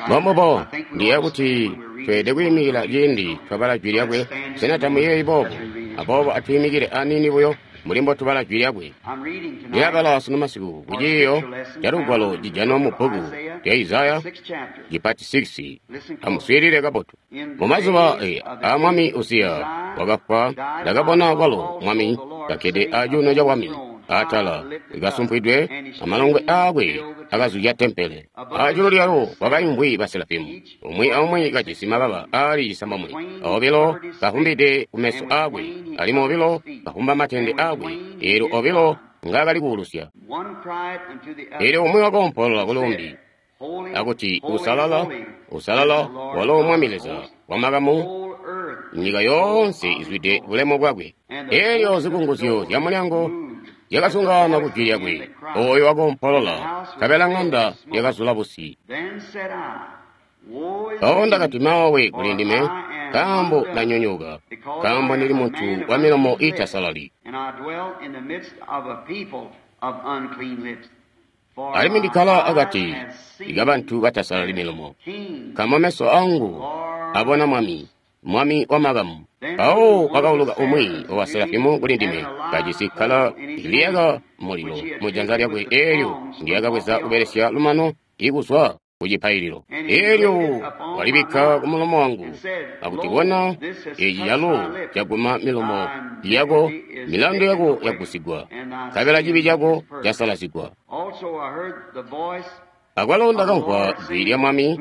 Mbombubo, ndiyeeya kuti tweelede kwiimikila ciindi twabala Jwi Lyakwe. Sena tamuyeeyi boobo? Aboobo atwiimikile aniini buyo mbuli mbotubala Jwi Lyakwe. Ndilabala sunu masiku ku ciiyo ca Lugwalo cijanwa mu bbuku lya Isaya cipati 6. Amuswiilile kabotu. Mumazuba aa Mwami Uziya wakafwa, ndakabona kwalo Mwami kakkede acuuno cabwami atala kasumpwidwe, amalongwe aakwe akazuzya tempele. Aajulu lyalo kwakaimvwi baserafimu, umwi aumwi kajisi mababa aali cisambomwe, obilo kavumbide kumeso aakwe, alimwi obilo kavumba matende aakwe, eelyo obilo ngaakali kuulusya. Eelyo umwi wakoompolola kuluumbi akuti, Uusalala, uusalala, walo Mwami Leza wamakamu, nyika yoonse izwide bulemu bwakwe. Eelyo zikunguzyo zyamulyango zyakazungaana kujwi lyakwe, ooyo wakoompolola, nkabela ŋanda yakazula busi. Mpawo ndakati, Maawe kulindime, nkaambo ndanyonyooka, nkaambo ndili muntu wamilomo iitasalali. Alimwi ndikkala akati kabantu batasalali milomo, nkaambo meso aangu abona Mwami, Mwami wamakamu. Mpawo kwakauluka umwi wa Serafimu kulindime, kajisi kkala liyaka mulilo mujanza lyakwe eelyo ndyakabweza kubelesya lumano ikuzwa kucipaililo. Eelyo walibikka kumulomo wangu akuti, Bona, eeci calo caguma milomo yako, milandu yako yagusigwa, nkabela cibi cako casalazigwa. Akwalo ndakamvwa jwi lya Mwami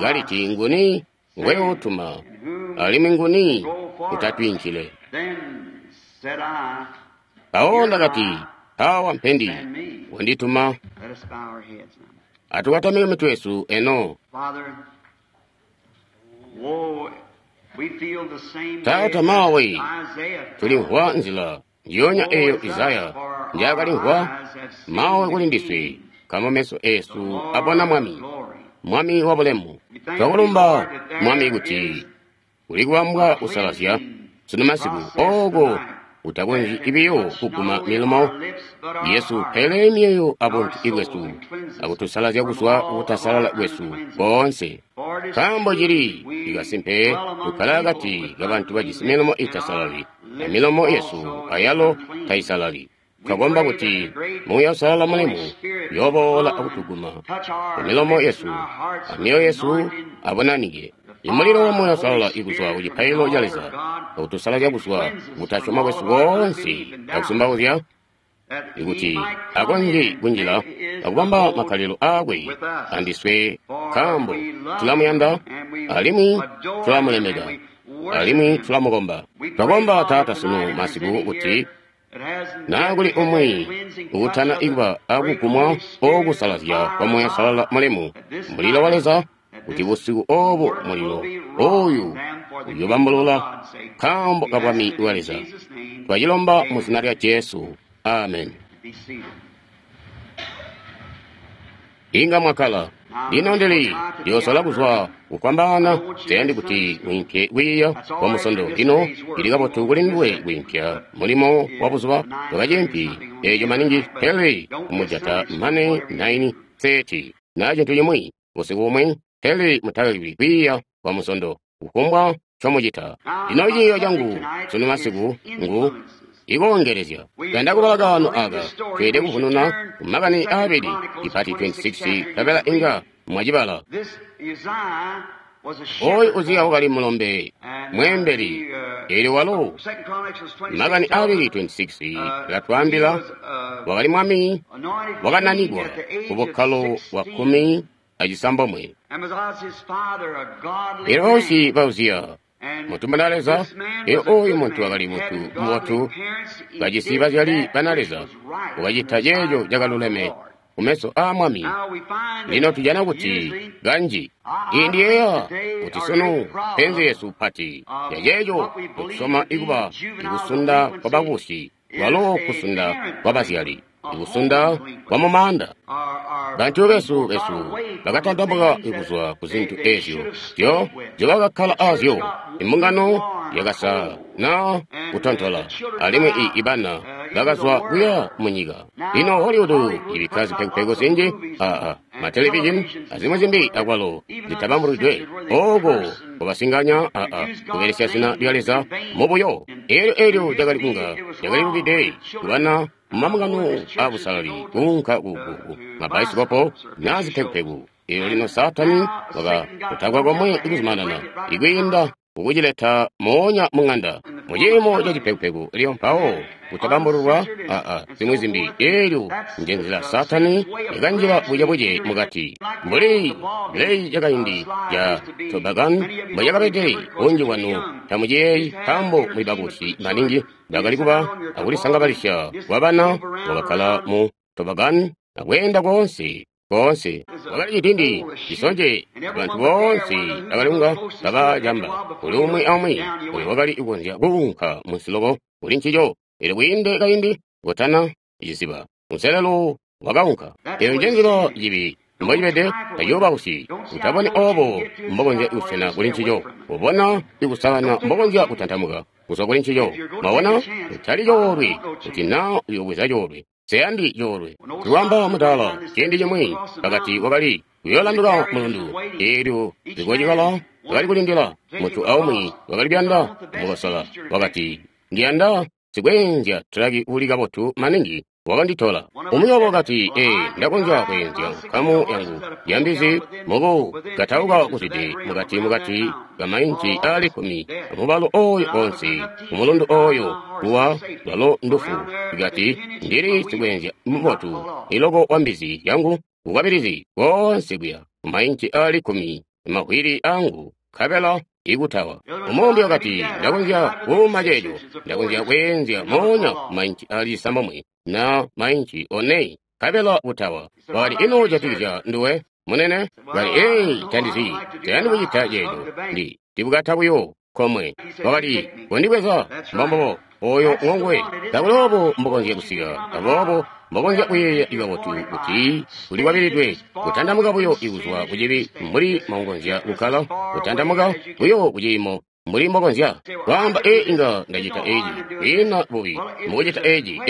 kaliti, Nguni ngweyootuma, alimwi nguni utatwiinkile? Mpawo ndakati, Aawa mpendi, wandituma. Atukatamike mitwe yesu eno. Taata, maawe, tulimvwa nzila njionya eeyo Isaya njaakalimvwa. Maawe kuli ndiswe, nkaambo meso eesu abona Mwami, Mwami wabulemu. Twakulumba, Mwami, kuti kuli kubambwa kusalazya sunu masiku ooko kutakonzyi biyo kuguma milomo yesu pele myoyo abuntu bwesu akutusalazya kuzwa kukutasalala kwesu koonse. Nkaambo cili ikasimpe tukkala akati kabantu bajisi milomo iitasalali, amilomo yesu ayalo taisalali. Twakomba kuti Muuya Uusalala mulemu uyooboola akutuguma kumilomo yesu amyoyo yesu abunanike. Imulilo wa Muuya Uusalala ikuzwa kucipaililo ca Leza akutusalazya kuzwa kutasyoma kwesu koonse akusumbauzya, ikuti akonzye kunjila akubamba makkalilo aakwe andiswe, nkaambo tulamuyanda alimwi tulamulemeka alimwi tulamukomba. Twakomba Taata sunu masiku kuti naa kuli umwi uutana ikuba akugumwa okusalazya kwa Muuya Uusalala mulemu, mulilo wa Leza, kuti busiku oobu mulilo ooyu uyoobambulula nkaambo ka bwami bwa Leza. Twacilomba mu zina lya Jesu. Amen. Inga mwakkala. Lino ndili ndiyoosola kuzwa kufwambaana, nsiyandi kuti mwiimpye kwiiya kwa Musondo. Lino cili kabotu kuli nduwe kwiimpya mulimo wa buzuba tokaciimpyi eeco maningi, pele kumujata mane 9:30 naa cintu cimwi busiku bumwi, pele mutaleki kwiiya kwa Musondo kufumbwa ncomucita. Lino ciiyo cangu sunu masiku ngu ikoongelezya. Kuyanda kubala kaano aaka, tweelede kuvununa kumakani aabili, ipati 26, nkabela inga mwacibala. Ooyu Uziya wakali mulombe mweembeli, eelyo walo makani aabili 26 alatwaambila wakali mwami wakananikwa kubukkalo bwa 16. Eelyo bausyi ba Uziya muntu muna Leza, eelyo ooyu muntu wakali muntu mubotu, kajisi bazyali bana Leza, wakacita ceeco cakaluleme kumeso aa Mwami. Lino tujana kuti kanji ndiyeeya kuti sunu penzi yesu pati yaceeco tusyoma ikuba ikusunda kwabakusyi, kwalo kusunda kwabazyali, ikusunda kwamumaanda. Bantu besu bakatantamuka kuzwa ku zintu eezyo nzyobakakkala aazyo. Imbungano yakasa naa kutontola, alimwi ibana bakazwa kuya mu nyika. Lino Hollywood ibikka zipekupeku zinji, matelevizhini azimwi zimbi akwalo zitabambulwidwe. Oko kubasinganya kubelesya zina lya Leza mubuyo. Elyo cakali kunga cakali lubide kubana mumamungano abusalali kuunka ku mabaisikopo na zipekupeku. Elyo lino Saatani wakakutakwa komwe ikuzumanana ikwiinda kukucileta moonya mung'anda muciimo ca cipekupeku. Elyo mpawo kutabambululwa zimwi zimbi. Elyo nje nzila Saatani yakanjila bucebuce mukati mbuli leyi yakaindi ya Tobacco mbwecakabede. Bunji bwanu tamuciyeeyi nkaambo muli bakubusi maningi. Bakali kuba akulisangabalisya kwa bana bakakkala mu Tobacco akweenda koonse koonse. Wakali cidindi cisonje, bantu boonse bakali kunga kabacamba kuli umwi aumwi oyo wakali kukonzya kuunka munsiloko kuli ncico. Elyo kwiinde kaindi kotana ciziba munselelo wakaunka. Eyo nje nzila cibi mbocibede. Taciyoobausyi utaboni obo mbokonzya kusena kuli ncico, ubona ikusakana mbokonzya kutantamuka kuzwa kuli ncico. Mwabona, utali coolwe kuti naa uyobweza coolwe. Seyandi coolwe. Tuwamba mudala ciindi cimwi pakati wakali kuyoolanduka mulundu. Elyo zikocikala wakali kulindila muntu aumwi wakali kuyanda kumukosola. Wakati, ndiyanda sikweenzya tulaki uli kabotu maningi wakanditola. Umwi wabo wakati, ndakonzya kweenzya nkamu yangu ya mbizi muku katauka kuzwide mukati kamainci ali 10 amubalo oyo onse kumulundu oyo kuwa lwalo ndufu. Ikati, ndili sikweenzya mubotu iloko wa mbizi yangu kukwabilizi konse kuya kumainci ali 10 mawili angu nkabela ikutawa. Umumbi wakati, ndakonzya kuuma ceeco, ndakonzya kweenzya moonya kumainci ali 6 na mainci 4 nkabela kutawa. Wakati, ino jatikizya nduwe munene? Wakati, tandizi, tayandi kucita ceeco, ndibukata buyo komwe. Wakati, kondibweza mbombobo oyo ngongwe. Takuloobo mbokonzya kusika, aboobo mbokonzya kuyeeya ikabotu kuti ulikwabilidwe kutantamuka buyo ikuzwa kucibi mbuli mbokonzya kukkala, kutantamuka buyo kuciimo mbuli mbokonzya kwaamba, inga ndacita eci, kwiina bubi mukucita eci.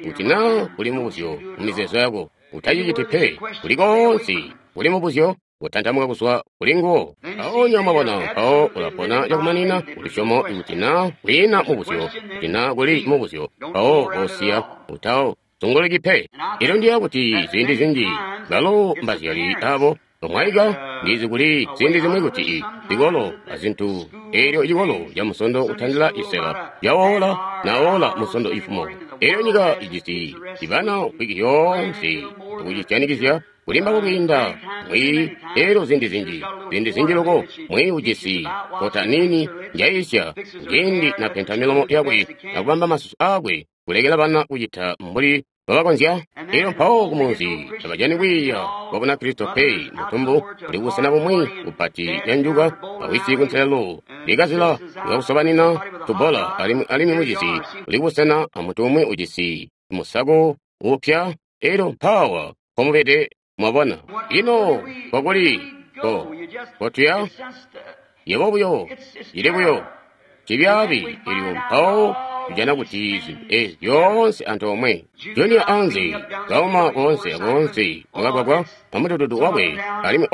Kuti naa kuli mubuzyo mumizeezo yako, utaciciti pe. Kuli koonse kuli mubuzyo, kutantamuka kuzwa kuli nguwo. Aonya mwabona, mpawo ulapona cakumanina kulusyomo. Kuti naa kwiina mubuzyo, kuti naa kuli mubuzyo, mpawo kosiya utawo zunguluki pe. Elyo ndiya kuti ziindi zinji balo mbazyali abo bamwaika. Ndizi kuli ziindi zimwi kuti zikolo azintu, elyo cikolo ca musondo kutandila isela cawola nawola musondo ifumo. Elyo nyika ijisi ibana wiki yoonse akucisyanikizya kulimba kwiinda mwi. Elyo ziindi zinji loko mwi ujisi kota nini njaisya ciindi napenta milomo yakwe akubamba masusu akwe, kulekela bana kucita mbuli babakonzya. Elyo mpawo kumunzi tabajani kwiiya kwa Bunakristo pe. Mutumbu kuli busena bumwi kupati yanjuka awisi kunselelo likazila likakusobanina tubola, alimwi mucisi kuli busena amuntu umwi ujisi musako upya. Elyo mpawa pomubede. Mwabona, ino kokuli kotuya yebo buyo cili buyo cibyaabi. Elyo mpawo tujana kuti zintu ezi zyoonse antoomwe. Junior anze kauma koonse akoonse wakagwagwa amudududu wakwe, alimwi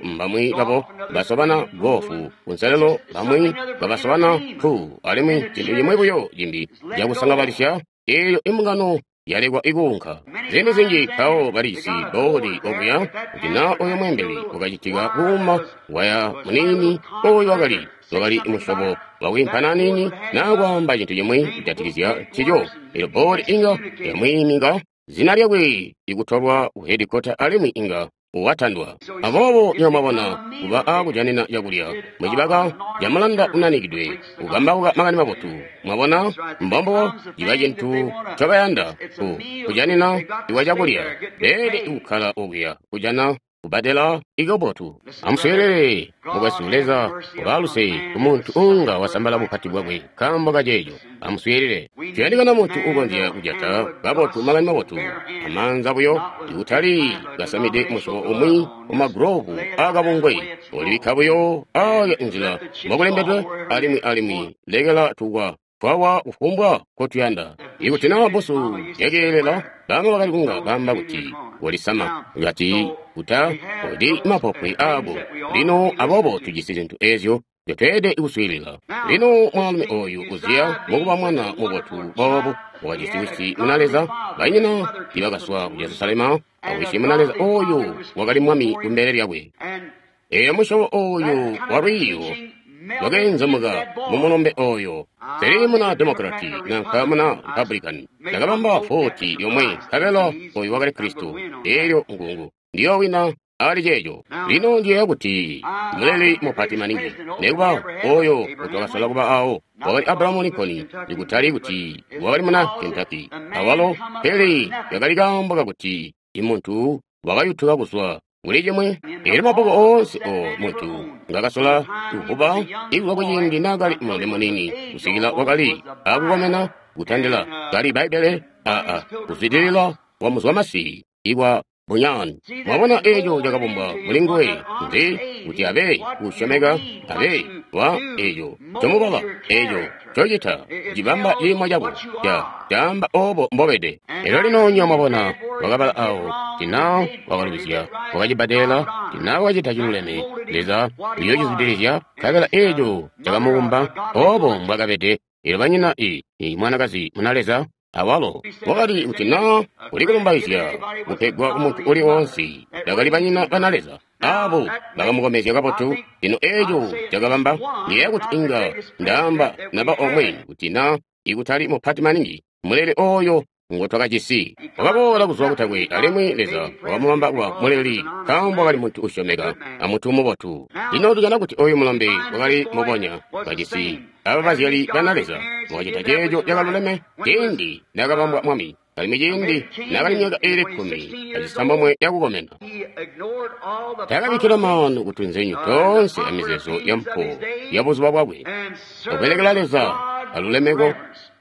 mbamwi babo basobana gofu kunselelo, bamwi babasobana pu, alimwi cintu cimwi buyo cimbi cakusangabalisya. Eyo imbungano yalekwa ikuunka. Ziindi zinji mpawo balijisi boodi okuya kuti naa oyo mweembeli wakacitika kuuma waya muniini oyo wakali musyobo wakwiimpana aniini naa kwaamba cintu cimwi kujatikizya ncico. Elyo boodi inga yamwiiminga zina lyakwe ikutolwa ku hedikota alimwi inga watandwa. Aboobo nyo mwabona kuba akujanina cakulya mucibaka camulanda unanikidwe kukambauka makani mabotu. Mwabona, mbombo ciba cintu ncobayanda kujanina iwa cakulya. Beelede kukkala okuya kujana kubadela ikabotu. Amuswiilile mukwesu, Leza ubaluse kumuntu unga wasambala bupati bwakwe nkaambo kaceeco. Amuswiilile, tuyandikana muntu ukonzya kujata kabotu makani mabotu amaanza buyo, ikutali kasamide musyobo umwi umagulovu akabungwe olibikka buyo aya inzila mbokulembedwe, alimwi lekela tukwa Twawa kufumbwa nkotuyanda. Ikuti naa bbusu lyakeelela, baama bakali kunga baamba kuti kolisama, kati uta odi mapopwe aako. Lino aboobo tujisi zintu ezyo nzyotweelede kuswiilila. Lino mwaalumi oyu Uziya mukuba mwana mubotu boobu, wakajisi wisi muna Leza, banyina ibakazwa ku Jerusalema, awisi muna Leza oyu wakali mwami kumbele lyakwe. Eyo musyobo oyu walwiiyo lwakeenzemuka mumulombe oyo. Pele muna Demokrati nanka muna Republican ndakabamba 41, nkabela oyu wakali Kristo. Elyo ngungu ndiyowina ali ceeco. Lino ndiyeeya kuti muleli mupati maningi nekuba oyo utwakasola kuba awo wakali Abraham Lincoln, ikutali kuti wakali muna Kentucky awalo, pele yakali kaambo kakuti imuntu wakayutuka kuzwa kuli cimwe. Elyo mabbuku oonse o muntu ngakasola kuvuba ikuzwa kuciindi naakali mulombe muniini kusikila wakali akukomena kutandila kali Bbaibbele aa kuzwidilila kwa muzwamasi ikwa bunyani. Mwabona eco cakabumbwa muli nguwe nzi kuti abe kusyomeka, abe wa eco comubala, eco cocita cibamba ciimo cako ca caamba obo mbobede. Elyo lino nyo mwabona wakabala awo tina wakalubizya, wakacibbadela, tina wakacita ciluleme, Leza uyocizwidilizya, nkabela eco cakamubumba obo mbwakabede. Elyo banyina i mwanakazi muna Leza awalo wakali kuti na uli kulumbaizya kupegwa kumuntu uli wonse, bakali banyina bana Leza abo bakamukomezya kabotu. Lino eco cakabamba ndiyeeya kuti inga ndaamba naba omwe kuti na ikutali mupati maningi muleli oyo ngotwakajisi wakaboola kuzwa kutakwe, alimwi Leza wakamubamba kuba muleli nkaambo wakali muntu usyomeka amuntu mubotu. Lino tujana kuti oyu mulombe wakali mubonya kajisi aba bazyali bana Leza, wakacita ceeco cakaluleme ciindi naakabambwa mwami, alimwi ciindi naakali myaka iili 16 yakukomena. Taakabikkila maanu kutunzenyu toonse amizeezo yampuwo yabuzuba bwakwe, kubelekela Leza alulemeko.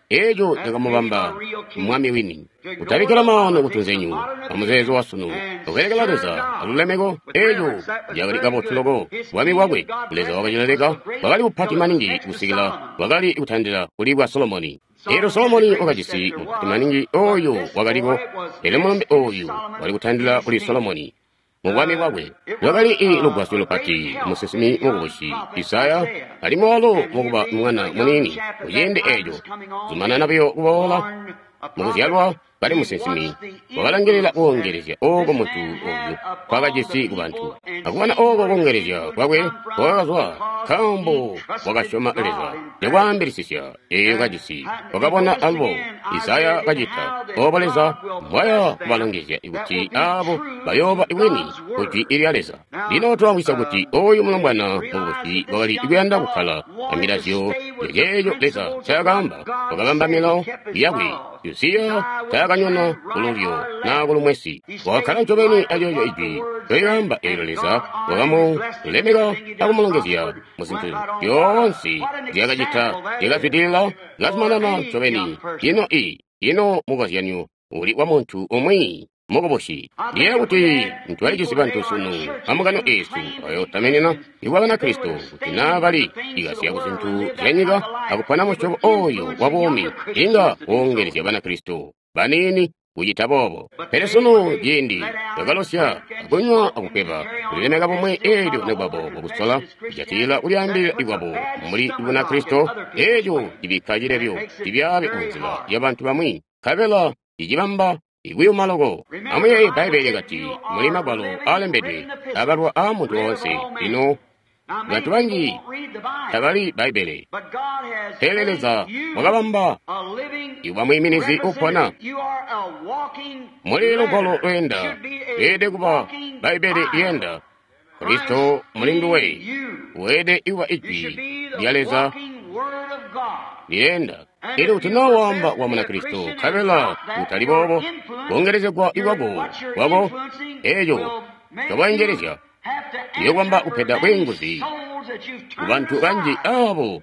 Eco cakamubamba mwami wini. Kutabikkila maanu kutunzenyu amuzeezo wasunu, kubelekela Leza alulemeko, eco cakali kabotu loko. Bwami bwakwe Leza wakacileleka, bwakali bupati maningi kusikila bwakali kutandila kuli bwa Solomoni. Elyo Solomoni wakajisi mupati maningi oyo wakaliko, pele mulombe oyu wali kutandila kuli Solomoni mubwami bwakwe. Lwakali i lugwasyo lupati musinsimi mukubusi Isaya, alimwi walo mukuba mwana muniini kuciindi eco zumanana buyo kuboola mukuzyalwa kali musinsimi, wakalangilila kuongelezya ooko muntu oyu kwakajisi kubantu, akubona ooko kuongelezya kwakwe kwakazwa nkaambo wakasyoma Leza cakwaambilisisya eyo kajisi. Wakabona alubo Isaya kacita obo Leza mbwaya kubalongezya kuti abo bayooba bwini kujwi lya Leza. Lino twamvwisya kuti oyu mulombwana mukubusi wakali kuyanda kukkala amilazyo yaceeco Leza ncaakaamba, wakabamba milawo yakwe. Uziya taakanyona kululyo naa kulumwesi, wakakkala ncobeni aceeco ijwi ncolyaamba. Eelyo Leza wakamulemeka akumulongezya muzintu zyoonse nzyaakacita, zyakazwidilila, kazumanana ncobeni. Ino ino mukozyanyo uli wa muntu umwi mukubusi. Ndiyeeya kuti ntwalijisi bantu sunu amukano eesu ayootamenena ikwa Banakristo kuti naa bali ikasya kuzintu zyanyika akupona musyobo oyu wa buumi, inga woongelezya Banakristo baniini kucita boobo. Pele sunu ciindi bakalosya akunywa akukweba kulilemeka bumwi, eelyo nikuba boobo kusola kujatilila kulyaambilila ikwabo mbuli Bunakristo, eeco cibikka cilebyo cibyaabi munzila yabantu bamwi, nkabela cicibamba ikuyuma loko. Amuyeeye Bbaibbele lyakati muli magwalo aalembedwe abalwa aamuntu woonse. Lino bantu banji tabali Bbaibbele, pele Leza wakabamba ikuba mwiiminizi upona. Muli lugwalo lweenda lweelede kuba Bbaibbele lyeenda. Kristo muli nduwe weelede kuba ijwi lya Leza lyeenda. Elyo kuti naa waamba wa Munakristo nkabela kutali boobo, kuongelezegwa ikwako kwako eeco cokwaengelezya iyokwamba kupeda bwiinguzi kubantu banji abo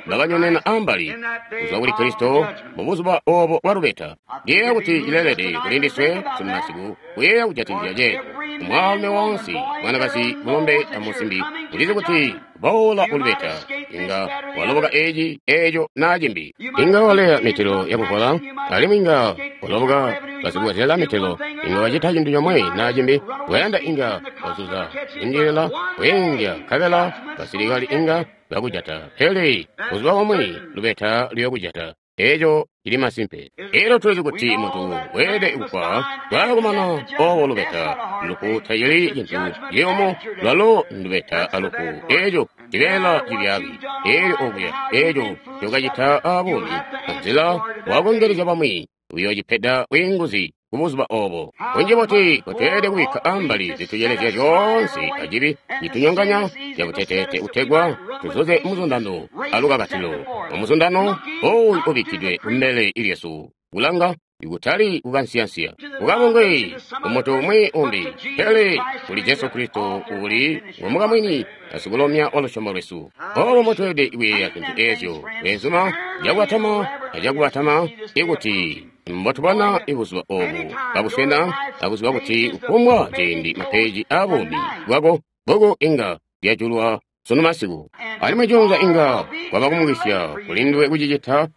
bakanyonena ambali kuzwa kuli Kristo mubuzuba obo bwa lubeta. Ndiyeeya kuti cileelede kuli ndiswe sunu masiku kuyeeya kujatikizya ceeco. Mwaalumi woonse, mwanakazi, mulombe amusimbi, ulizi kuti boola kulubeta Inga waloboka eci, eco, na cimbi. Inga waleya mitelo yakuvola, alimwi inga waloboka basikubwezela mitelo. Inga wacita cintu comwe na cimbi. Wayanda inga wazuza indilila, weengya, nkabela basilikali inga bakujata. Pele buzuba bumwi lubeta luyokujata. Eco cili masimpe. Elyo tulizi kuti muntu weelede kufwa lwaakumana obo lubeta. Lufu tacili cintu ciyumu, lwalo ndubeta alufu. Eco cibeela cibyaabi. Elyo okuya, eco cokacita abuumi, anzila wakongelezya bamwi, uyoocipeda bwiinguzi kubuzuba obo. Bunji buti butweelede kubikka ambali zitucelezya zyoonse acibi citunyonganya cabuteteete kutegwa tuzuze muzundano alukakatilo. Mumuzundano ooyu ubikkidwe kumbele lyesu, kulanga ikutali kukansiyansiya, kukabungwe kumuntu umwi umbi, pele kuli Jesu Kristo uuli ngomukamwini asikulomya wa lusyomo lwesu. Obo mbotweelede kuyeeya zintu eezyo, beenzuma, cakubatama acakubatama, ikuti mbotubona ibuzuba obu kabuswena akuziba kuti kufumbwa ciindi mapeeji aabuumi bwako bbuku inga lyajulwa sunu masiku, alimwi juunza inga kwaba kumukisya kulinduwe kucicita.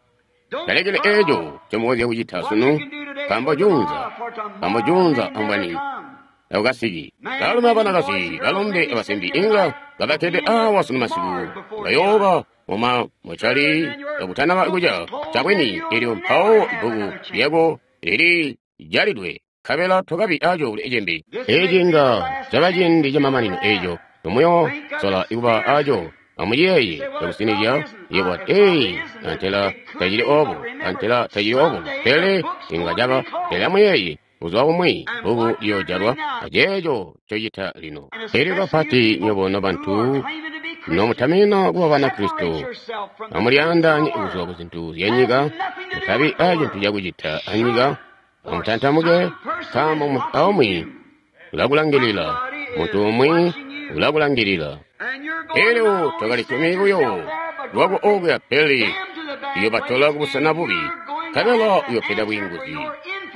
Talekele eeco ncomukonzya kucita sunu, nkaambo juunza ambweni takukasiki. Baalumi abanakazi, balombe abasimbi inga kabakkede awa sunu masiku, bayooba muma mucali kakutanaba kuca cabwini, elyo mpawo ibbuku lyako lili jalidwe, nkabela tokabi aco kuli cimbi. Eci inga caba ciindi camamanino eco nomuyosola kuba aco. Amuciyeeye cakusinizya, yebo ati, ee, antela tacili obo, antela tacili obo, pele inga caba. Pele amuyeeye, buzuba bumwi bbuku liyoojalwa, aceeco ncocita lino. Elyo kapati nywebo nobantu nomutaminina kuba Banakristo, amulyaandaanye kuzwa kuzintu zyanyika, mutabi acintu cakucita anyika, amutantamuke, nkaambo muntu aumwi ulakulangilila, muntu umwi ulakulangilila. Elyo twakalitumi buyo lwako okuya, pele uyobatola kubusena bubi, nkabela uyopeda bwiinguzi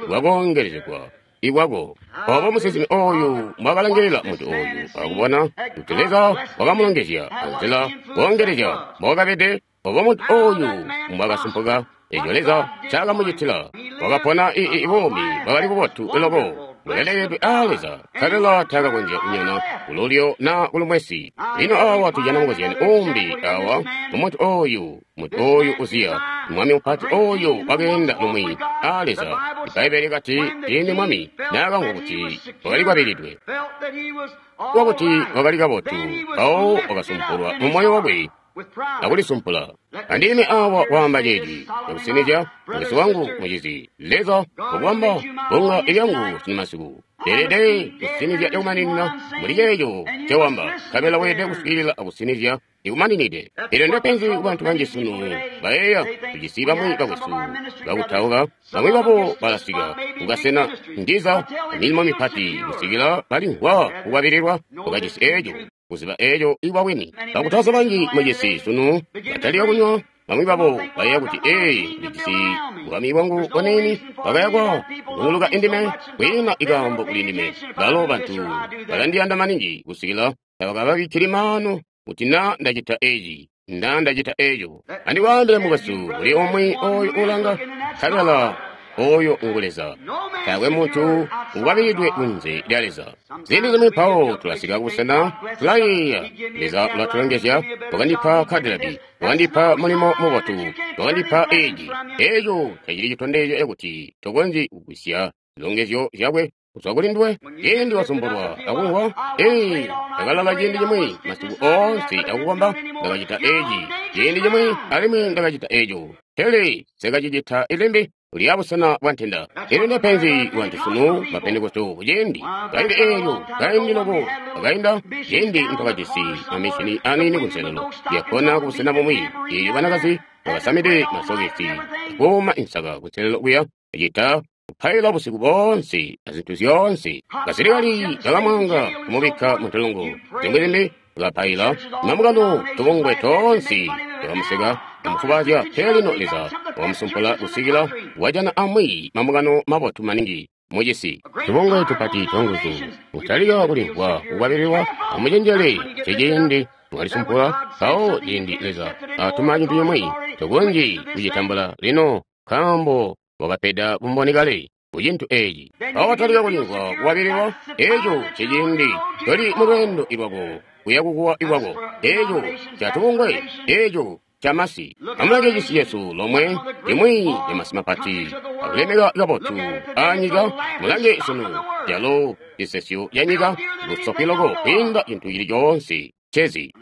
bwakoongelezegwa ikwako. Obo musinsimi oyu mbwakalangilila muntu oyu akubona kuti Leza wakamulongezya anzila koongelezya mbwakabede, obo muntu oyu mbwakasumpuka, eco Leza ncaakamucitila. Wakapona buumi bwakali bubotu loko, bulelekedwe aa Leza, nkabela taakakonzya kunyona kululyo na kulumwesi. Lino awa tujana mukozyano umbi awa mumuntu oyu, muntu oyu Uziya, mwami mupati oyu wakeenda lumwi aa Leza. Ibbaibbele likati ciindi mwami naakamvwa kuti wakali kwabilidwe, wakuti wakali kabotu, mpawo wakasumpulwa mumoyo wakwe akulisumpula. Andime awa waamba ceeci cakusinizya, mukwesu wangu mucizi, Leza wakubamba bbunga lyangu sunu masiku. Leelede kusinizya cakumaninina muli ceeco ncewamba, nkabela weelede kuswiilila akusinizya ikumaninide. Elyo ndepenzi kubantu banji sunu, bayeeya tujisi bamwi bakwesu bakutauka, bamwi babo balasika kukasena ndiza milimo mipati kusikila balimvwa kukwabililwa, bakajisi eeco kuziba eeco ibwabwini. Bakutausi banji mucisi sunu batalika kunywa, bamwi babo bayeeya kuti, ee, ndijisi bwami bwangu bwanini, bakayakwa kuzunguluka indime, kwiina ikaambo kuli ndime. Balo bantu balandiyanda maningi kusikila tabakababikkili maanu kuti naa ndacita eci, naa ndacita eco. Andikwaambile mukwesu, kuli umwi oyu ulanga, nkabela oyo ngu Leza. Taakwe muntu ukwabilidwe kunze lya Leza. Ziindi zimwi mpawo tulasika kubusena tulayeeya, Leza ulatulongezya, wakandipa Cadillac, wakandipa mulimo mubotu, wakandipa eci. Eco tacili citondezyo cakuti tokonzyi kugwisya zilongezyo zyakwe kuzwa kuli nduwe. Ciindi wasumbulwa akumvwa, ee, ndakalala ciindi cimwi masiku oonse akukomba, ndakacita eci ciindi cimwi alimwi ndakacita eco, pele nsikacicita limbi. Uli abusena bwa ntenda. Elyo ndepenzi kubantu sunu ba Pentekoste kuciindi kaindi eelyo kaindi loko akainda, ciindi ntwakajisi mamishini aniini kunselelo lyakkona kubusena bumwi, eelyo banakazi bakasamide masokesi akuuma insaka kunselelo kuya, acita kupaila busiku boonse azintu zyoonse. Basilikali bakamwaanga kumubikka muntolongo, zimwi zimbi bakapaila mamukano tubungwe toonse bakamuseka amufubaazya, pele lino Leza wakamusumpula kusikila wajana amwi mamukano mabotu maningi. Mucisi tubungwe tupati twanguzu kutalika kulimvwa kukwabililwa. Amucenjele, ceciindi mwalisumpula mpawo ciindi Leza atuma cintu cimwi tokonzyi kucitambula lino nkaambo wakapeda bumboni kale ku cintu eeci. Mpawo watalika kulimvwa kukwabililwa, eeco ceciindi toli mulweendo lwako kuya kukuwa kwako. Eeco catubungwe, eeco camasi. Amulange cisi cesu lomwe limwi lyamasi mapati akulemeka kabotu anyika. Mulange sunu calo cisesyo ca nyika lusopi loko kwiinda cintu cili coonse cezi.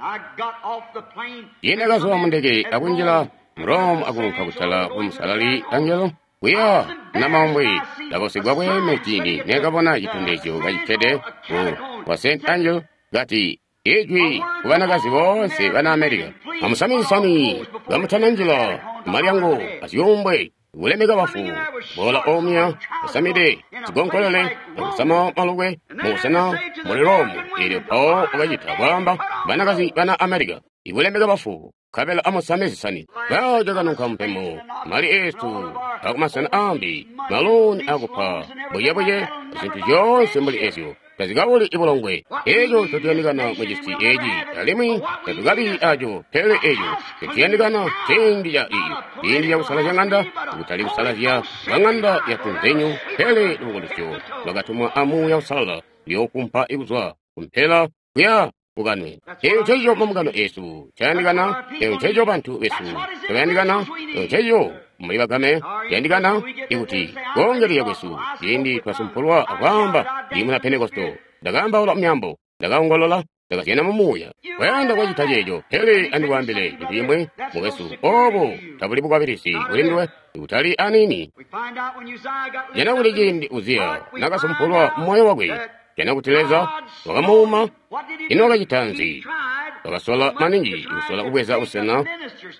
Ine kazwa mundeke akunjila mu Rome akunka kutala ku Musalali Angelo kuya namaumbwe. Ndakosigwa bweeme ciindi nekabona citondezyo kacikkede ku wa St. Angel kati ijwi ku banakazi boonse bana America: amusamisani kamutananjila malyango azyuumbwe kulemeka bafu. Bola omya asamide zigonkolele akusama malukwe mubusena muli Rome. Eelyo mpawo wakacita kwaamba banakazi bana America ikulemeka bafu, nkabela amusame zisani. Kacakanunka mpemo mali eesu akumasena ambi maloni akupa buyebuye zintu zyoonse mbuli ezyo tazikabuli ibulongwe. Eeco ncotuyandikana mucisi eeci, alimwi tatukabi aco. Pele eeco ncotuyandikana ciindi ca iyo ciindi ca kusalazya ŋanda, kutali kusalazya kwa ŋanda ya tunzenyu, pele lubukulusyo lwakatumwa a Muuya Uusalala luyookumpa kuzwa kumpela kuya kukanwe. Eeco nceco mambungano eesu cayandikana, eeco nceco bantu besu cabayandikana, eeco nceco muli bagame cayandikana, ikuti koongelezya kwesu ciindi twasumpulwa akwaamba, ndi muna Pentekosto, ndakaambaula myaambo, ndakaongolola, ndakazyana mu muuya. Kwayanda kwacita ceeco, pele andikwaambile cintu cimwi, mukwesu, oobo tabuli bukwabilizi kuli nduwe, kutali aniini. Jana kuti ciindi Uziya nakasumpulwa mumoyo wakwe, jana kuti Leza wakamuuma. Ino wakacita nzi? Wakasola maningi kusola kubweza busena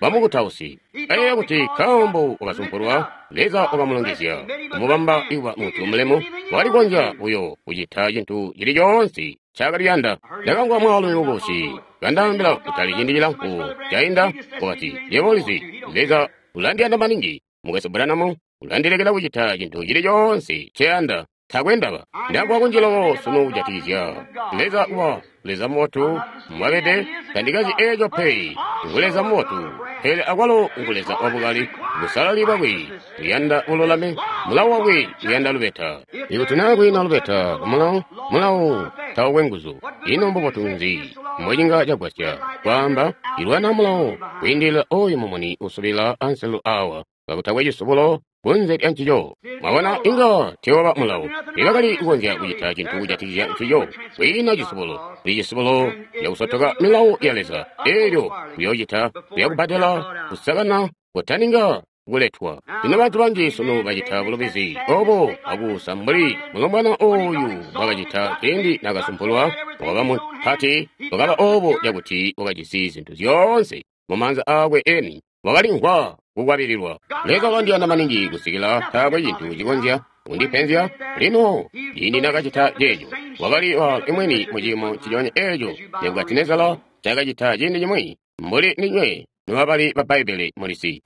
bwamukutausi. Ayeeya kuti nkaambo wakasumpulwa, Leza wakamulongezya kumubamba kuba muntu mulemu, wakali kukonzya buyo kucita cintu cili coonse ncaakali kuyanda. Ndakamvwa mwaalumi mukubusi kandaambila kutali ciindi cilamfu cainda, wakati, "Yebo ulizi, Leza ulandiyanda maningi, Mukwesu Branham, ulandilekela kucita cintu cili coonse nceyanda. Taakwe ndaba." Ndamvwa kunji loko sunu kujatikizya Leza kuba Leza mubotu mbwabede. Tandikazi eeco pe. Ngu Leza mubotu, pele akwalo ngu Leza wabukali. Busalali bwakwe buyanda bululami, mulawo wakwe uyanda lubeta. Ikuti naa kwiina lubeta kumulawo, mulawo taukwe nguzu. Ino mbubotu nzi mbocinga cagwasya kwaamba ilwana mulawo kwiindilila ooyu mumuni usubila anselu awa kakutakwe cisubulo kunze lya ncico? Mwabona, inga teewaba mulawo. Tiibakali kukonzya kucita cintu kujatikizya ncico. Kwiina cisubulo. Kuli cisubulo cakusotoka milawo ya Leza, eelyo kuyoocita kuyakubbadela kusakana kutaninga kuletwa. Lino bantu banji sunu bacita bulubizi obo akuusa mbuli mulombwana ooyu bwakacita ciindi nakasumpulwa. Wakaba mupati, wakaba obo cakuti wakajisi zintu zyoonse mumaanza aakwe eni, wakalimvwa kukwabililwa. Leza wakandiyanda maningi kusikila taakwe cintu cikonzya kundipenzya. Lino ciindi nakacita ceeco, wakali wa imweni muciimo nciconya eeco Nebukadinezara cakacita ciindi cimwi, mbuli ndinywe nobabali ba Bbaibbele mulisi.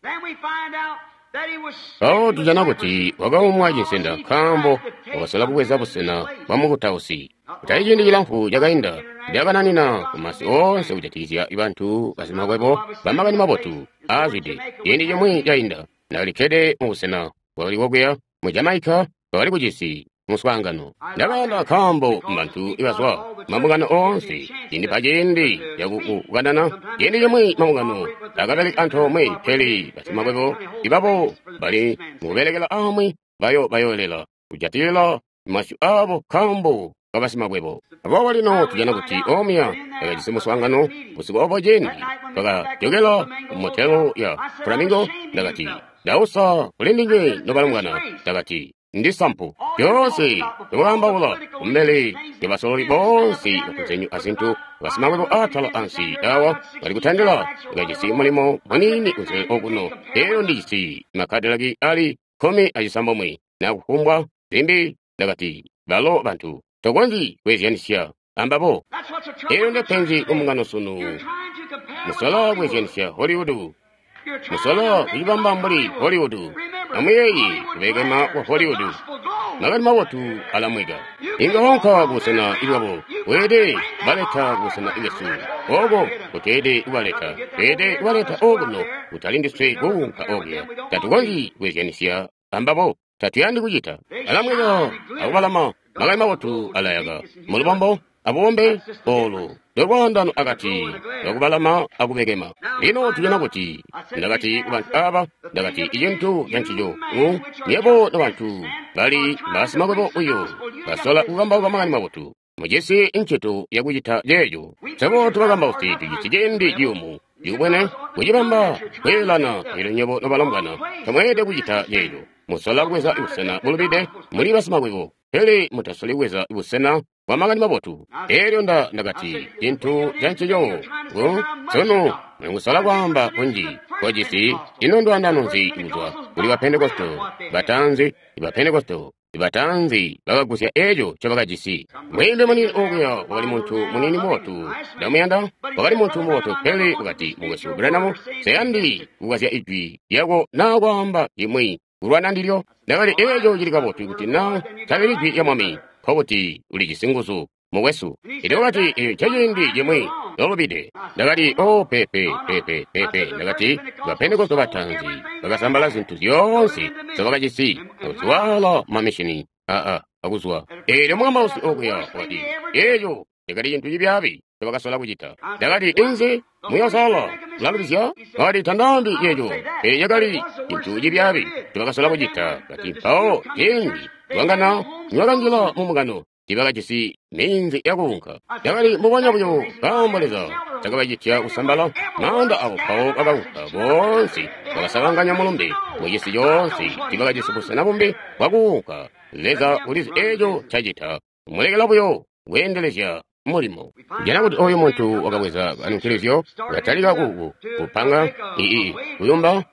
Mpawo tujana kuti wakaumwa cinsenda nkaambo wakasola kubweza busena bwamukutausi. Kutali ciindi cilamfu cakainda, ndakananina kumasi oonse kujatikizya bantu basimakwebo bamakani mabotu aazwide. Ciindi cimwi cainda, ndakalikkede mubusena bwakali kokuya mu Jamaica, bakali kujisi muswaangano. Ndakayanda nkaambo bantu ibazwa mambungano oonse cindipa ciindi cakukanana. Ciindi cimwi mambungano akabeleka antoomwe, pele basimakwebo ibabo bali mukubelekela amwi bayo bayolela kujatilila masyu aabo nkaambo kabasimakwebo. Aboobo lino tujana kuti omuya bakajisi muswaangano busiku obo. Ciindi twakajokela ku motelo ya Flamingo, ndakati, "Ndausa kuli ndinywe nobalombwana." Ndakati, "Ndi sampu lyoonse ndikukambaula kumbele lya basololi boonse batunzenyu azintu basimakwebo atala ansi awa bali kutandila. Ndakajisi mulimo muniini kunze okuno, elyo ndijisi makadilaki ali 19 na kufumbwa zimbi." Ndakati, "Balo bantu tokonzyi kweezyanisya ambabo." Elyo ndepenzi kumbungano sunu. Musola kweezyanisya Hollywood, musola kucibamba mbuli Hollywood. Amuyeeye kubekema kwa Hollywood. Makani mabotu alamweka. Inga waunka kubusena bwabo. Weelede kubaleta kubusena bwesu. Oko kuteede kubaleta. Tweelede kubaleta okuno kutali ndiswe kuunka okuya. Tatukonzyi kweezyanisya ambabo. Tatuyandi kucita. Alamweka akubalama. Makani mabotu alayaka. Mulubombo abubombe olu ndolwaandano akati kakubalama akubekema. Lino tujana kuti ndakati kubantu aba, ndakati icintu cancico nywebo nobantu bali basimakwebo uyo basola kukambauka makani mabotu. Mujisi ncito yakucita ceeco. Swebo tubakambausi tujisi ciindi ciyumu cikubwene kucibamba kweelana. Elyo nywebo nobalombwana tamweelede kucita ceeco. Musola kubweza busena bulubide muli basimakwebo, pele mutasoli kubweza busena bwa makani mabotu. Elyo ndakati cintu cancico sunu mukusola kwaamba kunji kwacisi. Ino ndwaandano nzi kuzwa kuli ba Pentekosto bataanzi? Ba Pentekosto bataanzi bakagusya eco ncobakajisi. Mweembe muniini okuya wakali muntu muniini mubotu, ndamuyanda, wakali muntu mubotu, pele wakati, Mukwesu Branham, nseyandi kukazya ijwi lyako naa kwaamba limwi kulwana ndilyo. Ndakati, eco cili kabotu kuti naa tabili jwi lya Mwami, nkokuti ulijisi nguzu, mukwesu. Elyo wakati, eco nceciindi cimwi lolubide. Ndakati, o pepe pepe pepe. Ndakati, ba Pentekosto bataanzi bakasambala zintu zyoonse nzobakajisi akuziwaala mamishini aa akuzwa. Elyo mukambausi okuya wakati, eco cakali cintu cibyaabi ncobakasola kucita. Ndakati, inzi muyosala mulalubizya? Wakati, tandaambi ceeco, pele cakali cintu cibyaabi ncobakasola kucita. Kati, mpawo ciindi lwangana nibakanjila mu mbungano, tiibakajisi minzi yakuunka. Cakali mbubonya buyo nkaambo Leza takabacitya kusambala maanda abo, mpawo bakaunka boonse bakasabanganya mulumbe mucisi coonse. Tiibakajisi busena bumbi bwakuunka. Leza ulizi eco ncacita, mulekela buyo kweendelezya mulimo. Jana kuti oyu muntu wakabweza kanunkilizyo, katalika kupanga kuyumba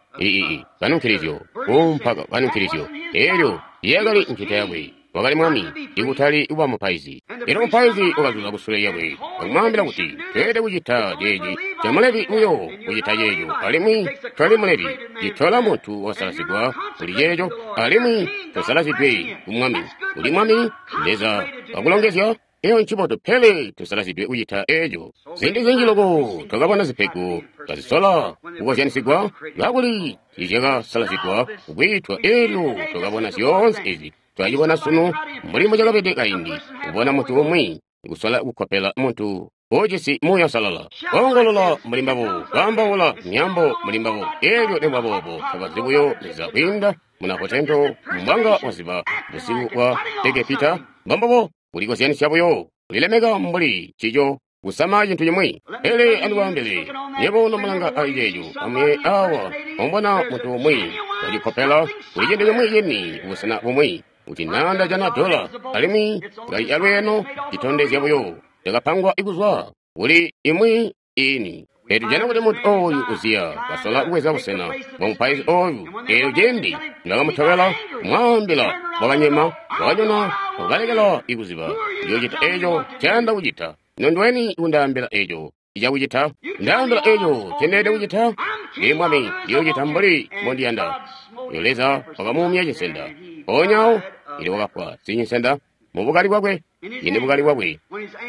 kanunkilizyo, kuumpa kanunkilizyo. Elyo yakali ncito yakwe. Wakali mwami, ikutali kuba mupaizi. Elyo mupaizi wakazuza kusule lyakwe akumwaambila kuti, tweelede kucita ceeci. Camulevi buyo kucita ceeco, alimwi twali mulevi. Citola muntu wasalazigwa kuli ceeco, alimwi tosalazidwe ku mwami. Uli mwami, Leza wakulongezya. Eyo ncibotu, pele tusalazidwe kucita eco. Ziindi zinji loko twakabona zipego kazisola kukozyanisigwa, kakuli tiizyakasalazigwa kukwiitwa. Elyo twakabona zyoonse ezi. Twacibona sunu mbuli mbucakabede kaindi, kubona muntu umwi kusola kukkopela muntu ujisi Muuya Uusalala, koongolola mbuli mbabo, kwaambaula myaambo mbuli mbabo. Elyo nikuba boobo tabazi buyo Leza kwiinda munakotento mbwanga waziba busiku bwa Egepita. Mbombubo kulikozyanisya buyo, kulilemeka mbuli ncico, kusama cintu cimwi. Pele andikwaambile, nywebo nomulanga ali ceeco, amuye awa mumbona muntu umwi wacikkopela kuli cintu cimwi cini kubusena bumwi, kuti naa ndajana dola, alimwi kali calweeno, citondezya buyo cakapangwa kuzwa kuli imwi ini. Pele tujana kuti muntu oyu Uziya kasola kubweza busena bwa mupaizi oyu. Elyo cindi nibakamutobela kumwaambila, wakanyema, wakanyona, wakalekela ikuziba ndiyocita eco ncayanda kucita. Ino ndweni kundaambila eco icakucita? Ndaambila eco ncendeelede kucita? Ndili mwami, ndiyocita mbuli mbondiyanda. Elyo Leza wakamuumya cinsenda. Mpoonya awo, elyo wakafwa sicinsenda mubukali bwakwe. Ini bukali bwakwe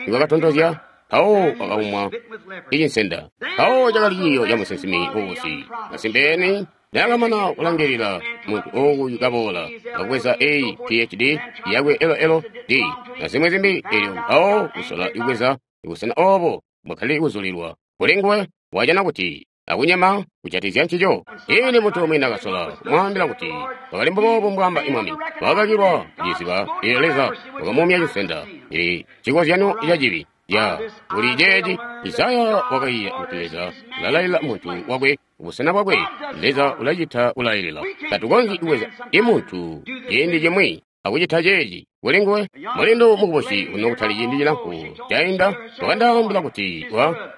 nibwakatontozya, mpawo wakaumwa icinsenda. Mpawo cakali ciiyo ca musinsimi mukubusi. Masimpeni naakamana kulangilila muntu ooyu kaboola akubweza a PhD yakwe LLD na zimwi zimbi, elyo mpawo kusola kubweza busena obo bwakali kuzulilwa kuli nguwe, wajana kuti akunyema kujatizya ncico. Ini muntu umwi nakasola kumwaambila kuti wakali mbuboobu mbwaamba imwami, wakakakilwa kuciziba. Elyo Leza wakamuumya cinsenda. Ili cikozyanyo ca cibi ya kuli ceeci. Isaya wakaiya kuti Leza ulalailila muntu wakwe kubusena bwakwe. Leza ulacita kulailila. Tatukonzyi kubweza imuntu ciindi cimwi akucita ceeci kuli nguwe. Mulindu mukubusi uno kutali ciindi cilamfu cainda wakandaambila kuti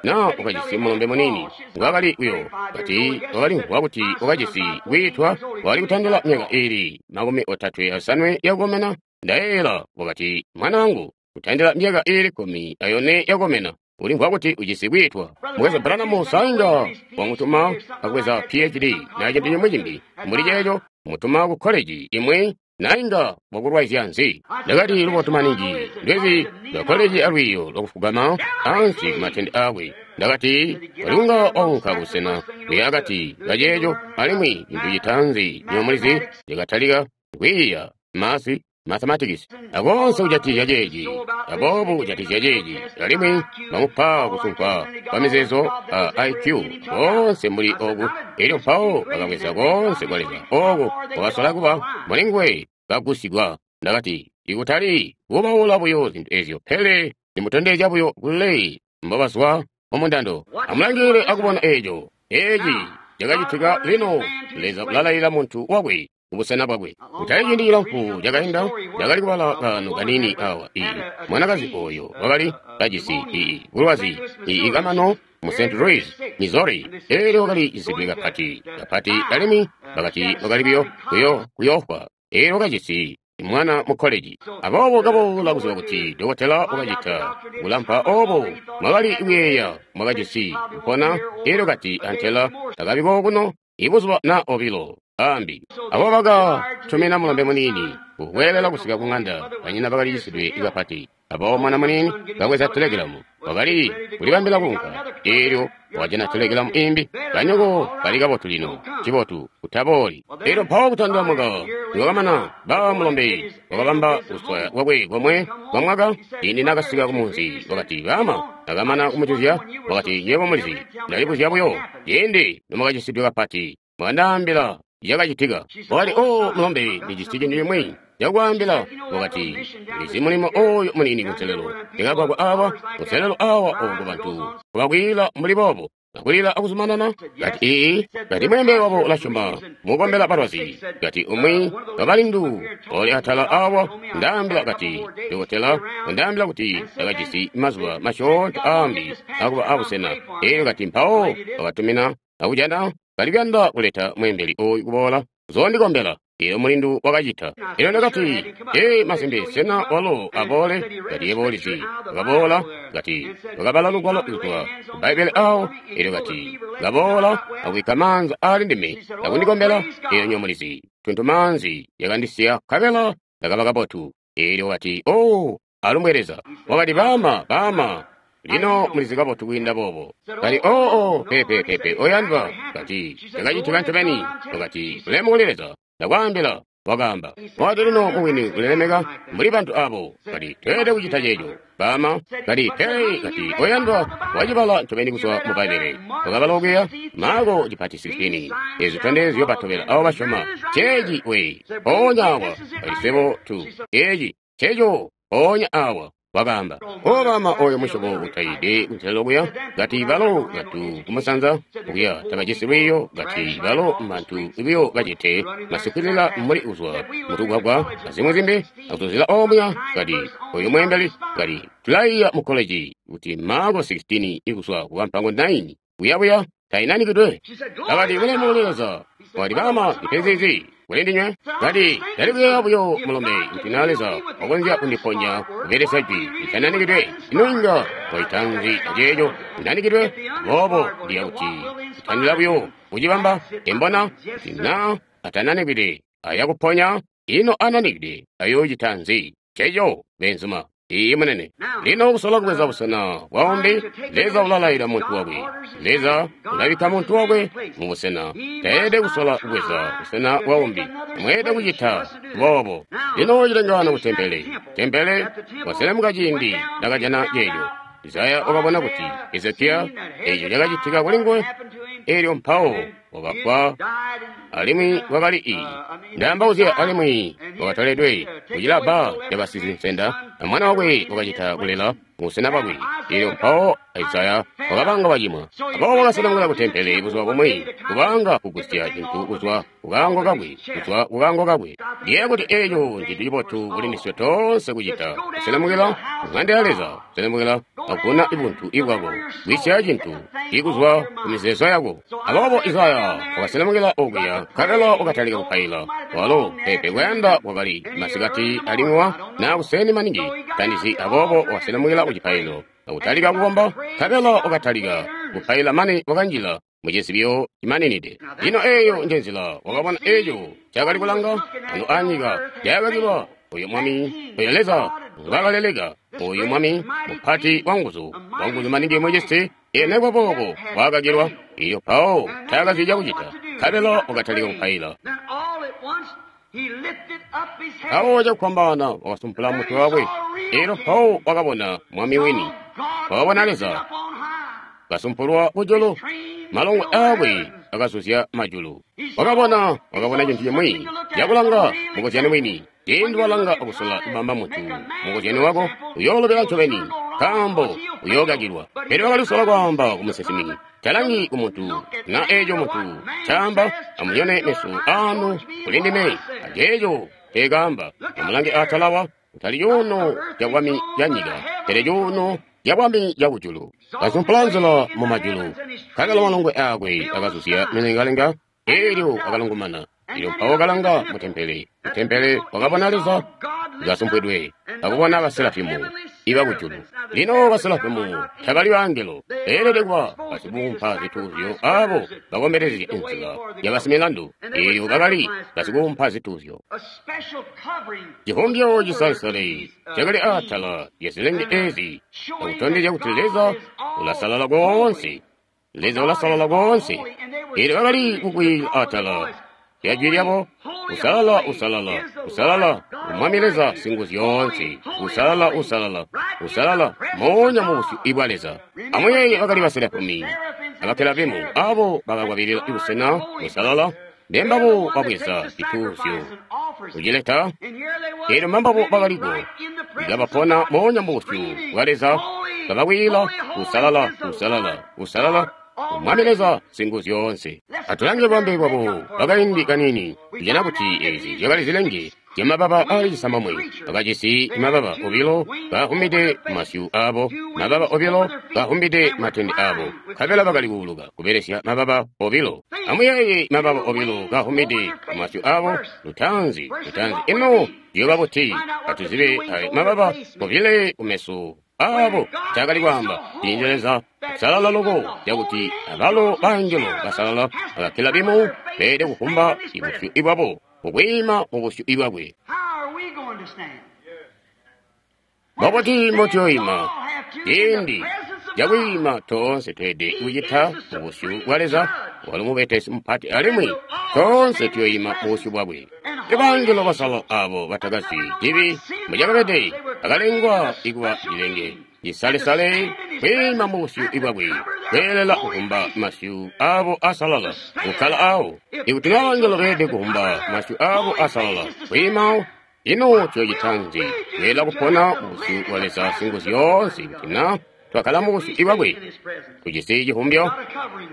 naa wakajisi mulombe muniini ngwaakali kuyo kati wakalimvwa kuti wakajisi kwiitwa. Wakali kutandila myaka iili 35 yakukomena. Ndayeeyela wakati, mwanaangu, kutandila myaka iili 14 yakukomena, ulimvwa kuti ujisi kwiitwa. Mukwesu Branham sainga wamutuma akubweza PhD na cintu cimwi cimbi mbuli ceeco. mutuma ku koleji imwi na inga wakulwaizya nzi? Ndakati lubotu maningi ndwezi lwa koleji alwiiyo lwakufugama ansi ku matende aakwe. Ndakati walikunga waunka busena kuya akati kaceeco, alimwi cintu citaanzi nywebo mulizi cakatalika kwiiya masi mathematics akoonse kujatikizya ceeci aboobu kujatikizya ceeci, alimwi bamupa kusunkwa kwa mizeezo a IQ koonse mbuli oku. Elyo mpawo bakabweza koonse kwa Leza oku wakasola kuba mulinguwe kagusigwa. Ndakati ikutali kubaula buyo zintu ezyo, pele ndimutondezya buyo kule mbobazwa mumundando. Amulangilile akubona eco. Eci cakacitika lino. Leza ulalailila muntu wakwe kubusena bwakwe. Kutali ciindi cilamfu cakainda, ndakali kubala kaano kanini awa. Mwanakazi oyo wakali kajisi bulwazi kamano mu St. Louis, Missouri. Elyo wakali cisidwe kapati kapati, alimwi bakati wakali buyo kuyoofwa. Elyo wakajisi mwana mu koleji. Aboobo kaboola kuziba kuti dokotela wakacita kulampa obo mwakali kuyeeya mwakajisi kupona. Elyo kati antela takabiko kuno ibuzuba na obilo ambi. Abo baka tumina mulombe muniini kukwelela kusika ku ng'anda. Banyina bakali cisidwe kapati. Abo mwana muniini kabweza telegilamu wakali kulibambila kuunka. Elyo wajana telegilamu imbi, banyoko bali kabotu lino, cibotu kutabooli. Elyo mpawo kutandila mwaka niwakamana, ba mulombe wakabamba kuswaya kwakwe komwe kwa mwaka. Ciindi nakasika kumunzi wakati, bama akamana kumujuzya wakati, nywebo mulizi, ndalibuzya buyo ciindi nomwakacisidwe kapati mwakandaambila cakacitika. Wakati, o mulombe, ndijisi cintu cimwi cakwaambila. Wakati, ndizi mulimo oyo muniini kunselelo ndikagwagwa awa kunselelo awa oko bantu kubakwila mbuli boobo akulila akuzumanana. Kati ii, kati mwembe wabo ulasyoma mukombela balwazi. Kati umwi wabalindu oli atala awa ndaambila, kati dokotela undaambila kuti ndakajisi mazuba masyoonto aambi akuba abusena. Elyo kati mpawo wakatumina akujana kali kuyanda kuleta mwembeli oyu kuboola zondikombela. Elyo mulindu wakacita. Elyo ndakati, ee, masimpe, sena walo aboole? Kati yebo ulizi. Wakaboola, kati wakabala lugwalo kuzwa ku Bbaibbele awo. Elyo kati kaboola akubikka maanza aali ndime akundikombela. Elyo nywebo mulizi, tuntumaanzi yakandisiya nkabela ndakaba kabotu. Elyo kati, o, alumbwe Leza. Wakati, baama, baama, lino mulizi kabotu kwiinda boobo. Kati, oo, pepe, pepe, oyandwa. Kati, cakacitika ncobeni. Wakati, ulemu kuli Leza. Ndakwaambila, wakaamba. Wakati, lino mubwini ulilemeka mbuli bantu abo. Kati, tweelede kucita ceeco, baama. Kati, pele, kati, oyandwa, wacibala ncobeni kuzwa mu Bbaibbele. Wakabala okuya, Maako cipati 16. Ezi zitondezyo batobela abo basyoma. Ceeci we, mpoonya awa. Kati, swebo tu, eci, ceeco, mpoonya awa. Wakaamba, o baama, oyo musyobo utaide kunselelo kuya. Kati balo bantu kumusanza kuya tabajisi lwiiyo. Kati balo bantu buyo bacete masikwilila mbuli kuzwa mutugwagwa azimwi zimbi akuzuzila omuya. Kati oyo mwembeli, kati tulaiya mu koleji kuti Maako 16 ikuzwa ku kampango 9 kuyabuya tainanikidwe. Akati ulemu kuli Leza. Wakati, baama, ndipenzizi kuli ndinywe. Kati ndali kuyeeya buyo mulombe kuti na Leza wakonzya kundiponya kubelesya jwi litananikidwe. Ino inga waita nzi aceeco linanikidwe? Boobo ndiya kuti kutandila buyo kucibamba embona kuti na atananikidwe ayakuponya, ino ananikidwe ayoocita nzi? Ceeco beenzuma. Iiyi munene. Lino kusola kubweza busena bwaumbi, Leza ulalaila muntu wakwe. Leza ulabikka muntu wakwe mu busena. Taelede kusola kubweza busena bwaumbi. Mweelede kucita boobo. Lino cilengano ku tempele. Tempele waselemuka ciindi ndakajana ceeco. Isaya wakabona kuti Hezekiya eco cakacitika kuli nguwe. Elyo mpawo wakafwa, alimwi wakali ndaambauzya, alimwi wakatoledwe kucilabba cabasizinsenda, na mwana wakwe wakacita kulela mubusena bwakwe. Elyo mpawo Isaya wakabanga wacimwa. Aboobo wakaselemukila ku tempele buzuba bumwi, kubanga kugusya cintu kuzwa kukaango kakwe, kuzwa kukaango kakwe. Ndiyeeya kuti eco ncintu cibotu kuli ndiswe toonse kucita, kuselemukila ku ng'anda ya Leza, kuselemukila akuguna buntu bwako, kwisya cintu ikuzwa ku mizeezo yako. Aboobo Isaya wakaselemukila okuya, nkabela wakatalika kupaila. Walo pepe kuyanda kwakali masikati alimwi na kuseni maningi tandizi. Aboobo wakaselemukila ku cipaililo akutalika kukomba, nkabela wakatalika kupaila mane wakanjila Mucizibyo cimaninide. Lino eyo nje nzila wakabona eco cakali kulanga ano anyika cakakilwa oyo mwami, oyo Leza ngwakaleleka, oyo mwami mupati wanguzu, wanguzu maningi mucisi, enekwa boobo wakakilwa. Iyo mpawo taakazi cakucita, nkabela wakatalika kupaila. Mpawo cakufwambaana wakasumpula mutwe wakwe. Elyo mpawo wakabona mwami wini, wakabona Leza kasumpulwa kujulu, malongwe aakwe akazuzya majulu. Wakabona, wakabona cintu cimwi cakulanga mukozyani wini. Ciindi walanga akusola kubamba muntu mukozyani wako, uyoolobela ncobeni, nkaambo uyookakilwa. Pele wakalisola kwaamba ku musinsimi, talangi ku muntu na eeco muntu caamba. Amunyone meso aanu kuli ndime aceeco nceekaamba. Amulange atalawa, kutali cuuno cabwami canyika, pele cuuno cabwami cakujulu. Kasumpula nzila mu majulu, nkabela malongwe aakwe akazuzya milengalenga. Eelyo akalungumana. Elyo mpawo kalanga mu tempele, mu tempele wakabona Leza kasumpwidwe, akubona baserafimu ibakujulu. Lino baserafimu tabali bangelo, beelede kuba basikuumpa zituuzyo abo bakombelezya inzila ya basimilandu. Eelyo bakali basikuumpa zituuzyo. Civumbyo cisalesale cakali atala lyazilenge ezi, akutondezya kuti Leza ulasalala koonse. Leza ulasalala koonse. Eelyo bakali kukwiila atala lyajwi lyabo, usalala, usalala, usalala, Mwami Leza Singuzyoonse, usalala, usalala, usalala, moonya mu busyu bwa Leza. Amuyeeye bakali baserafimi abakerabimu abo bakakwabilila busena busalala, mbembabo babweza cituuzyo kucileta. Eelyo mbambabo bakaliko kabapona moonya mu busyu bwa Leza, kabakwiila, usalala, usalala, usalala, Mwami Leza Singuzyoonse. Atulange bwambe bwabo bakaindi kanini. Tujana kuti ezi zyakali zilenge zyamababa aali cisambomwe. Bakajisi mababa obilo kaahumbide masyu aabo, mababa obilo kaahumbide matende aabo, nkabela bakali kuuluka kubelesya mababa obilo. Amuyeeye mababa obilo kaahumbide masyu aabo, lutaanzi, lutaanzi. Ino ciyooba buti? Atuzibe ayo mababa obile kumeso aabo cakali kwaamba ciindi Leza usalala loko cakuti abalo bangelo basalala abakelabimu beelede kukumba ibusyu ibwabo mukwiima mu busyu ibwakwe. Mbobuti mbotuyoima ciindi cakwiima? Toonse tweelede kucita mu busyu bwa Leza, walo mubetesi mupati, alimwi toonse tuyoima mu busyu bwakwe. Ibangelo basalala abo batakazi cibi mbucakabede bakalengwa ikuba cilenge cisalesale kwiima mu busyu bwakwe, kweelela kukumba masyu aabo asalala kukkala awo. Ikuti na bangelo beelede kukumba masyu aabo asalala kwiima, ino tuyocita nzi? Kweelela kupona mu busyu bwa Leza Singuzyoonse kuti na twakkala mu busyu bwakwe, tujisi civumbyo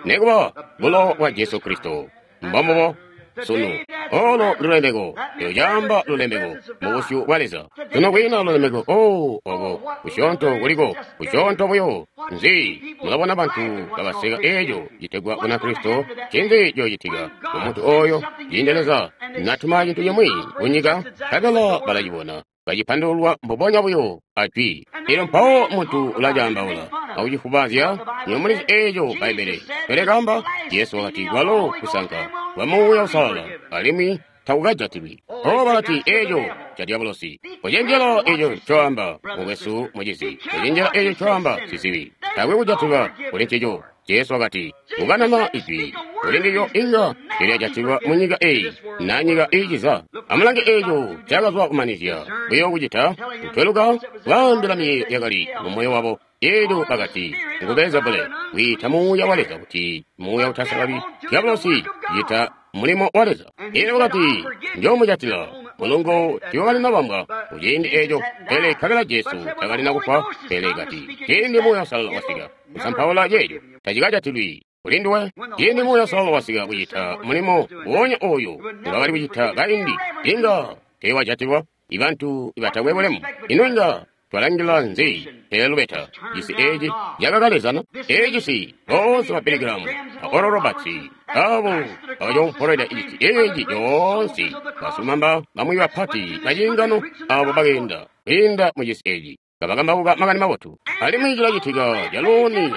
nekuba bulowa bwa Jesu Kristo. Mbombubo sunu olo lulemeko, lyocaamba lulemeko mu busyu bwa Leza. Sunu kwiina lulemeko. O oko kusyoonto kuliko, kusyoonto buyo nzi. Mulabona bantu kabaseka eeco citegwa Bunakristo. Ncinzi ciyocitika ku muntu oyo ciindi Leza natuma cintu cimwi kunyika, nkabela balacibona kacipandululwa mbubonya buyo ajwi. Elyo mpawo muntu ulacaambaula akucifubazya. Nyo mulizi eeco Bbaibbele pele kaamba, Jesu wakati kwalo kusanka kwa Muuya Uusalala alimwi takukajatilwi. O balati eeco ca diabolosi. Kucenjela eeco ncoamba, mukwesu mucizi. Kucenjela eeco ncoamba, sizibi. Taakwe kujatilwa kuli ncico. Jesu wakati, kukanana ijwi kuli ndilyo inga lilyajatilwa mu nyika eyi na nyika iiciza. Amulange eeco cakazwa kumanizya buyo kucita kutweluka kwaambila miyeeyo yakali mu moyo wabo. Eelyo bakati, ngu Belzebule, wiita Muuya wa Leza kuti muuya utasalali, diabolosi cita mulimo wa Leza. Eelyo wakati, njoomujatila mulungo tiiwakalina bambwa kuciindi eeco, pele nkabela Jesu takalina kufwa. Pele kati, ciindi Muuya Uusalala wasika kusampaula ceeco, tacikajatilwi kuli nduwe. Ciindi Muuya Uusalala wasika kucita mulimo wonya ooyo ngwakali kucita kaindi, inga teewajatilwa. Ibantu ibatakwe bulemu, ino inga twalangila nzi pele lubeta? Cisi eeci cakakalezana, eeci boonse ba Billy Graham a Oral Roberts abo bakacompolweda cisi eeci coonse, basilumamba bamwi bapati baciingano abo bakeenda kwiinda mu cisi eeci. Kabakambauka makani mabotu. Alimwi cilacitika caluuni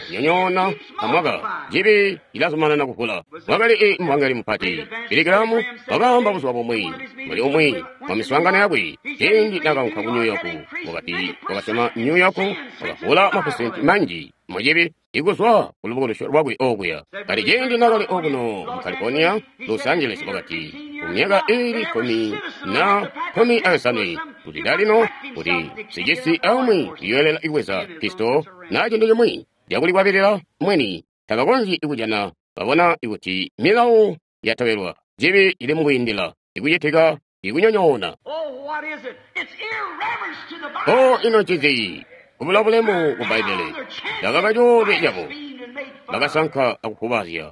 kunyonyoona amwaka. Cibi cilazumanana kuvula. Wakali i muvangeli mupati Billy Graham wakaamba buzuba bumwi muli umwi wa miswaangano yakwe ciindi nakaunka ku New York, wakati wakasyoma New York wakavula mapesenti manji mucibi ikuzwa ku lubukulusyo lwakwe okuya. Kati ciindi nakali okuno mu California, Los Angeles, wakati kumyaka iili 15 na 15 kuti dalino kuti sicisi aumwi uyoelela ikweza pisto na cintu cimwi cakulikwabilila mweni tabakonzyi ikujana babona ikuti milawo yatobelwa cibi ili mukwiindila ikucitika ikunyonyoona. O ino ncinzi? Kubula bulemu ku Bbaibbele. Bakaba coolwe cabo. Bakasanka akufubazya.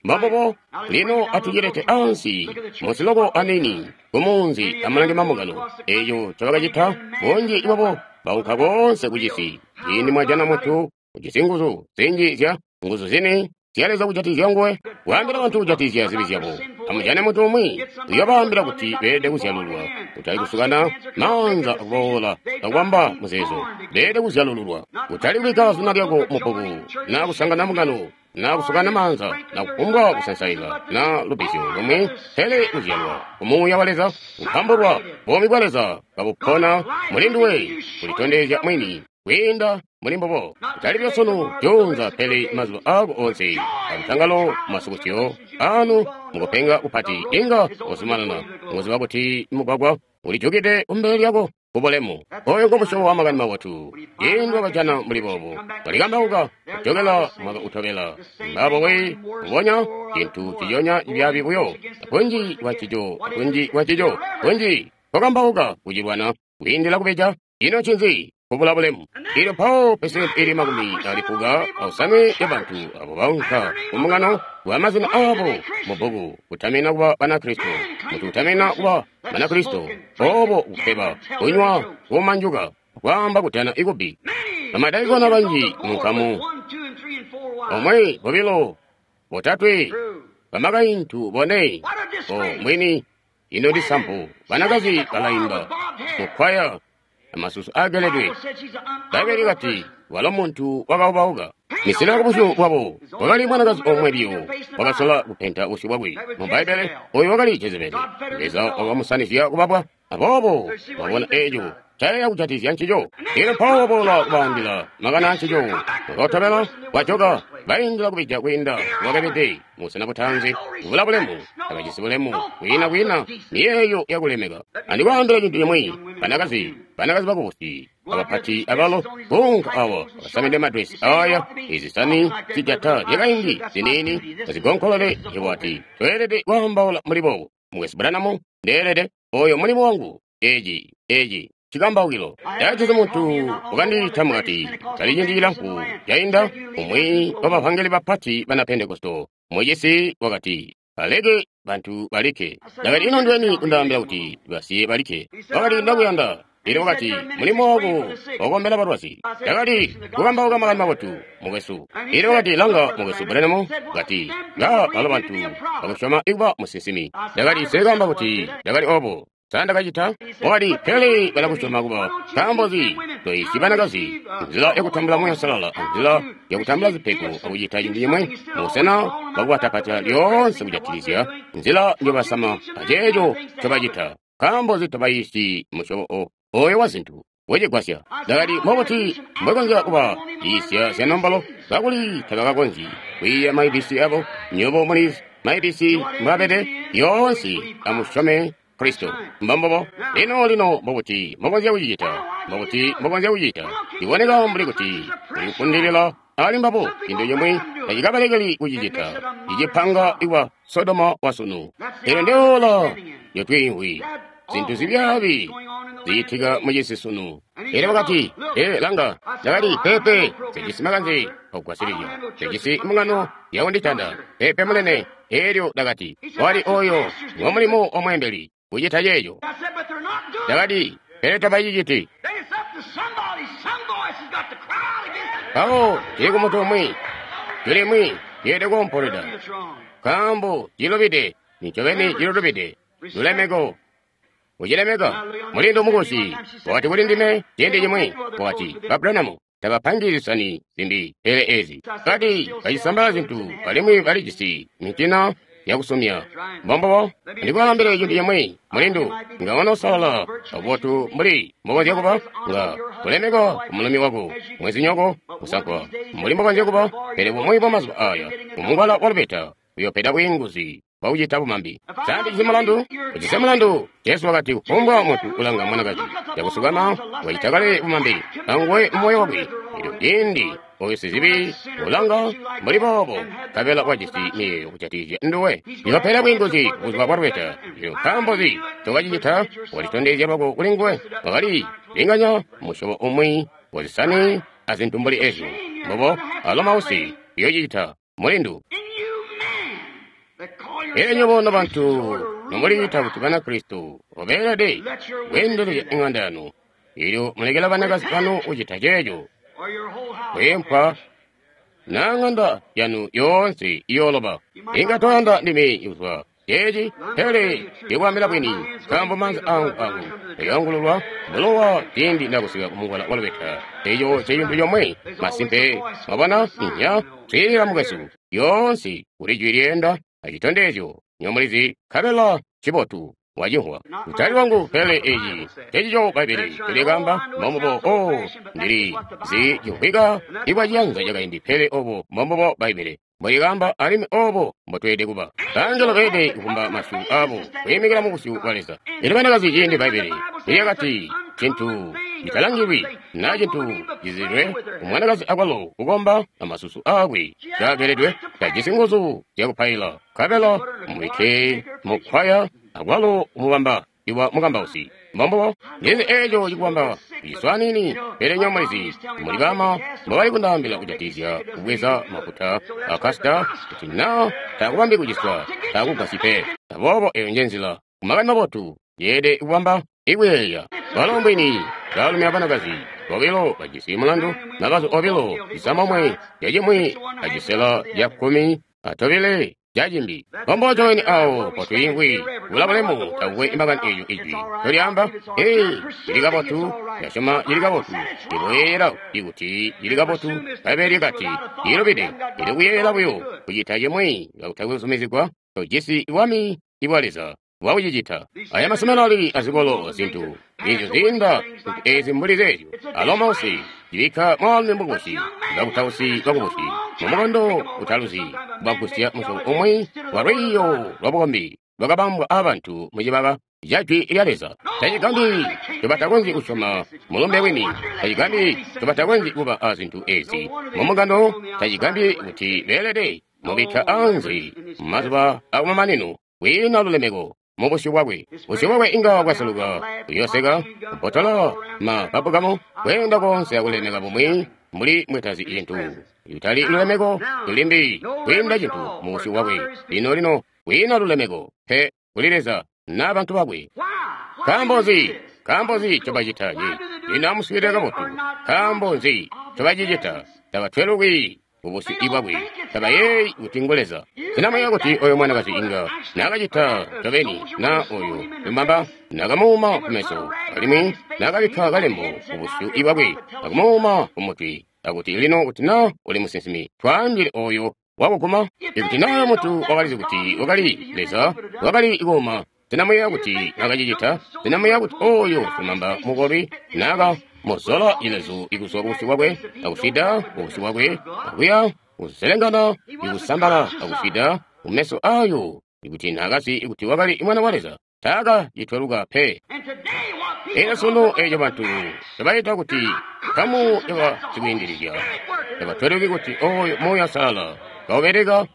Mbambubo, lino atucilete ansi musiloko anini kumunzi amulange mambungano. Eco ncobakacita, bunji bwabo baunka koonse kucisi. Ciindi mwajana muntu ujisi nguzu zinji zya nguzu zini zya Leza kujatikizya nguwe, waambila bantu kujatikizya zibi zyabo. Amujane muntu umwi uyobaambila kuti beelede kuzyalululwa, kutali kusukana maanza akuboola akubamba muzeezo. Beelede kuzyalululwa, kutali kubikka zina lyako mu bbuku, na kusangana mbungano, na kusukana maanza, na kufumbwa kusansaila, na lubbizyo lumwi, pele kuzyalwa ku Muuya wa Leza, kupambulwa buumi bwa Leza kabupona muli nduwe, kulitondezya mwini kwiinda muli mbubo. Kutali buyo sunu juunza, pele mazuba aako onse, alutangalo masukusyo anu mukupenga kupati, inga uzumanana mukuziba kuti mugwagwa ulijukide kumbele lyako kubulemu. Oyo ngo musyobo wa makani mabotu. Ciindi wakajana mbuli boobo, walikambauka kujokela mwaka utobela. Mbabo we kubonya cintu ciconya cibyaabi buyo, kunji kwa cico, kunji kwa cico, kunji kwakambauka kucilwana kwiindila kubeja. Ino ncinzi? Kubula bulemu. Elyo mpawo pesenti ili 95 ya bantu abo baunka ku mbungano wa mazina abo mu bbuku kutamina kuba Banakristo, muntu kutamina kuba Banakristo, obo kufeba, kunywa, kumanjuka, kwaamba kutana ikubi. Bamadaikona banji mu nkamu, 1, 2, 3, bamakaintu 4, o mwini, ino ndi sampu, banakazi balaimba mukwaya amasusu ageledwe. Bbaibbele likati walo muntu wakaubauka. Misila kubusyu bwabo wakali mwanakazi omwe biyo wakasola kupenta busyu bwakwe. Mu Bbaibbele oyo wakali Jezebeli. Leza wakamusanizya kubabwa. Aboobo wabona eco cayeeya kujatikizya ncico. Elyo mpawo waboola kubaambila makani ancico. Wakatobela wajoka baindila kubija kwiinda wakabede musena butaanzi. Kubula bulemu, tabajisi bulemu, kwiina kwiina miyeeyo yakulemeka. Andikwaambila cintu cimwi, banakazi, banakazi bakubusi, abapati abalo kuunka awa bakasamide madresi aya izisani zijata zyakaindi ziniini bazigonkolole iwati tweelede kwaambaula muli boobo. Mukwesu Branham, ndeelede oyo mulimo wangu. Eci eci cikambaukilo. Ndacizi muntu wakandiita mukati kali ciindi cilamfu cainda, umwi wa bavangeli bapati bana Pentekosto mucisi wakati, baleke bantu balike. Ndakati, ino ndiweni kundaambila kuti basiye balike? Wakati, ndakuyanda. Elyo wakati, mulimo wako wakukombela balwazi. Ndakati, kukambauka makani mabotu, mukwesu. Elyo wakati, langa, mukwesu Branham, kati, nga balo bantu bakusyoma ikuba musinsimi. Ndakati, sekaamba kuti ndakali obo. Sa ndakacita? Wakati, pele balakusyoma kuba. Nkaambo nzi? Toisyi banakazi nzila yakutambula Muuya Uusalala, nzila yakutambula zipego akucita cintu cimwi mubusena bwakubatapatila lyoonse kujatikizya nzila njobasama aceeco ncobacita. Nkaambo nzi tobayiisyi musyobo oyo wa zintu wecigwasya? Ndakati, mbobuti mbwekonzya kuba yiisya zya nombolo kakuli tabakakonzyi kwiiya ma ABC abo? Nywebo mulizi ma ABC mbwaabede yoonse. Amusyome Kristo. Mbambobo. Lino, lino, mbobuti mbokonzya kucicita? Mbobuti mbokonzya kucicita? Ciboneka mbuli kuti ulikufundilila ali mbabo. Cintu cimwi tacikabalekeli kucicita. Cicipanga ikwa Sodoma wa sunu. Elyo ndeola lyotwiimvwi. Zintu zibyaabi zicitika mucisi sunu. Elyo wakati, ee, langa. Ndakati, pepe, sijisi makanze okugwasilizya. Sijisi mbungano yakunditanda. Pepe munene. Elyo ndakati, wali oyo ngo mulimo wa mweembeli kucita ceeco. Ndakati, pele tabaciciti. Mpawo cili ku muntu umwi, jwi limwi lyeelede koompolweda, nkaambo cilubide, nincobeni cilulubide. Lulemeko. Kucilemeka. Mulindu mukusi wakati kuli ndime ciindi cimwi, wakati, Ba Branham, tabapangi zisani zimbi pele ezi. Kati bacisambala zintu alimwi balijisi mitina yakusumya. Mbombobo, ndikwaambile cintu cimwi, mulindu, nga wanosalala kabotu mbuli mbokonzya kuba, nga kulemeka kumulumi wako, mwezinyoko, musankwa, mbuli mbokonzya kuba, pele bumwi bwa mazuba aya, mumungwala wa lubeta, uyopeda bwiinguzi bwakucita bumambi. Sa ndijisi mulandu? Ujisi mulandu. Jesu wakati, kufumbwa muntu ulanga mwanakazi yakusukama wacita kale bumambi anguwe mumoyo wakwe. Elyo ciindi oyo sizibi ulanga mbuli boobo, nkabela wajisi miyeeyo kujatikizya nduwe. Uyopeda bwiinguzi buzuba bwa lubeta. Elyo nkaambo nzi ncokacicita? Walitondezya lwako kuli nguwe. Wakali linganya musyobo umwi wazisani azintu mbuli ezyo. Mbobo alo mausi uyocicita mulindu. Elyo nywebo nobantu nomuliita kuti Banakristo obeelede kweendelezya iŋanda yanu, elyo mulekela banakazi banu kucita ceeco, kweempwa na ŋanda yanu yoonse iyooloba. Inga toyanda ndime kuzwa ceeci, pele ndikwaambila bwini, nkaambo maanza angu angu ayoongululwa bulowa ciindi ndakusika kumungwala wa lubeta. Eco ncecintu comwe masimpe. Mwabona? Inya, swiilila mukwesu, yoonse kuli jwi lyeenda acitondezyo nyomulizi, nkabela cibotu wacimvwa. Kutali lwangu, pele eci ncecico Bbaibbele ncolikaamba. Mbombubo. O, ndili zi cimvwika ibwaciyanza cakaindi, pele obo mbombubo Bbaibbele mbolikaamba, alimwi obo mbotweelede kuba. Bangelo beelede kuvumba masyu abo kwiimikila mu busyu bwa Leza. Elyo banakazi ciindi Bbaibbele nilyakati cintu citalangilwi na cintu cizilwe umwanakazi akwalo kukomba amasusu aakwe kageledwe, tajisi nguzu zyakupaila, nkabela mubike mukwaya akwalo umubamba iwa mukambausi. Mbombubo. Ndizi eco cikubamba ciswanini, pele nyomulizi muli bama mbobali kundaambila kujatikizya kubweza mafuta a kasita, kuti na taakubambi kuciswa, taakugwasyi pe. Aboobo eyo njenzila kumakani mabotu yeelede kubamba ikuyeeya. Balo mbwini baalumi abanakazi bobilo bajisi mulandu, mabazu obilo cisamomwe cacimwi acisela ca kkumi atobile cacimbi. Mbomboco weni awo potwiimvwi kula bulemu takukwe makani eeco ijwi ncolyaamba. Ee, cili kabotu, ndasyoma cili kabotu, ndikuyeeyela kuti cili kabotu. Bbaibbele lyakati cilubide, ndili kuyeeyela buyo kucita cimwi kakutakwe kuzumizigwa. Tojisi bwami bwa Leza bwakucicita. Aya maseminari azikolo zintu ezyo ziinda zintu ezi mbuli zeezyo. Alo mausi cibikka mwaalumi mukubusi, bakutausi bakubusi mumukondo utaluzi, bagusya musyobo umwi wa lwiiyo lwabukombi lwakabambwa aabantu mucibaka ca Jwi lya Leza. Tacigambi ncobatakonzyi kusyoma mulumbe wini. Tacigambi ncobatakonzyi kuba azintu ezi mumugando. Tacigambi kuti beelede mubikka anze mumazuba akumamanino kwiina lulemeko mubusyu bwakwe. Busyu bwakwe inga bwaseluka, kuyoseka, kubotola mabbabugamu, kweenda konse akulemeka bumwi mbuli mwetazi cintu. Kutali lulemeko lulimbi kwiinda cintu mubusyu bwakwe. Lino lino kwiina lulemeko pe kuli Leza na bantu bakwe. Nkaambo nzi? Nkaambo nzi ncobacita ci? Lino amuswiilile kabotu. Nkaambo nzi ncobacicita? Tabatweluki mubusyu bwakwe. Tabayeeyi kuti ngu Leza. Sena muyeeya kuti oyo mwanakazi inga naakacita ncobeni na oyo lumamba naakamuuma kumeso, alimwi naakabikka kalembo kubusyu bwakwe akumuuma kumutwi, akuti lino kuti na uli musinsimi, twaambile oyo wakuguma? Ikuti na muntu wakalizi kuti wakali Leza, wakali kuuma. Sena muyeeya kuti naakacicita? Sena muyeeya kuti oyo lumamba mukolwi naaka muzola cilezu ikuzwa kubusyu bwakwe akufida kubusyu bwakwe akuya kuzelengana ikusambala akufida kumeso ayo, ikuti naakazi kuti wakali mwana wa Leza, taaka citweluka pe. Elyo sunu eco bantu tabaita kuti nkamu yabasikwiindilizya, tabatweluki kuti oyo Muuya Uusalala kaubeleka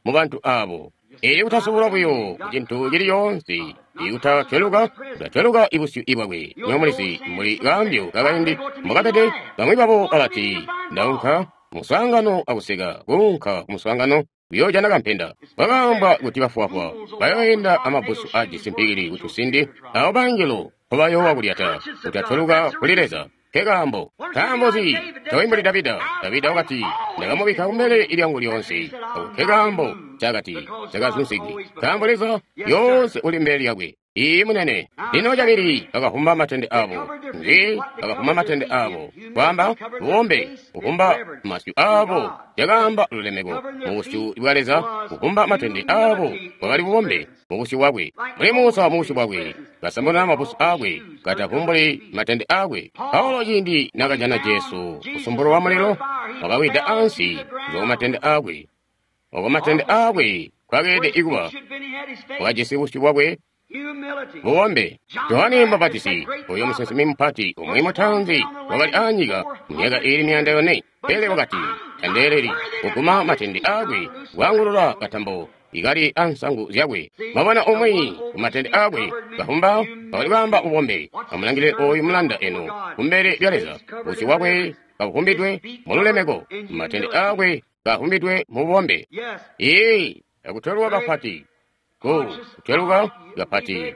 mu bantu abo. Elyo kutasubulwa buyo kucintu cili coonse, ikutatweluka, kutatweluka ibusyu bwakwe. Nyomulizi mbuli kaambyo kakaindi mbokabede, bamwi babo balati, ndaunka muswaangano akuseka, kuunka kumuswaangano kuyoojana kampenda. Bakaambwa kuti bafwafwa bayoenda amabbusu ajisi mpikili kutusindi, abo bangelo mpobayoowa kulyata, kutatweluka kuli Leza. Nkekaambo. Nkaambo nzi? Tawi mbuli Davida. Davida wakati, ndakamubikka kumbele lyangu lyoonse. Ako nkekaambo. ncakati cakazunzigwi, nkaambo Leza lyoonse uli mbele lyakwe. Iiyi, munene. Lino cabili, bakavumba matende abo. Nzi? Bakavumba matende abo. Kwaamba, bubombe, kuvumba masyu abo. Cakaamba lulemeko mu busyu bwa Leza, kuvumba matende abo bwakali bubombe mu busyu bwakwe. Mbuli Musa mu busyu bwakwe, kasambula mabusu akwe, katavumbuli matende akwe. Paulo ciindi nakajana Jesu kusumbulwa wa mulilo, wakawida ansi kuzwa ku matende akwe. Oko matende akwe kwakeelede ikuba, wakajisi busyu bwakwe bubombe. Johane Mubapatizi, oyo musinsimi mupati umwi mutaanzi wakali aanyika myaka iili 400, pele wakati, Tandeeleli kuguma matende akwe, kwaangulula katambo ikali ansangu zyakwe. Mwabona umwi ku matende akwe kavumba, wakali kwaamba bubombe. Amulangilile oyu mulanda eno kumbele lya Leza, busyu bwakwe kabuvumbidwe mu lulemeko, matende akwe kavumbidwe mu bubombe. Ee, akutweluka kapati. Ku kutweluka kapati,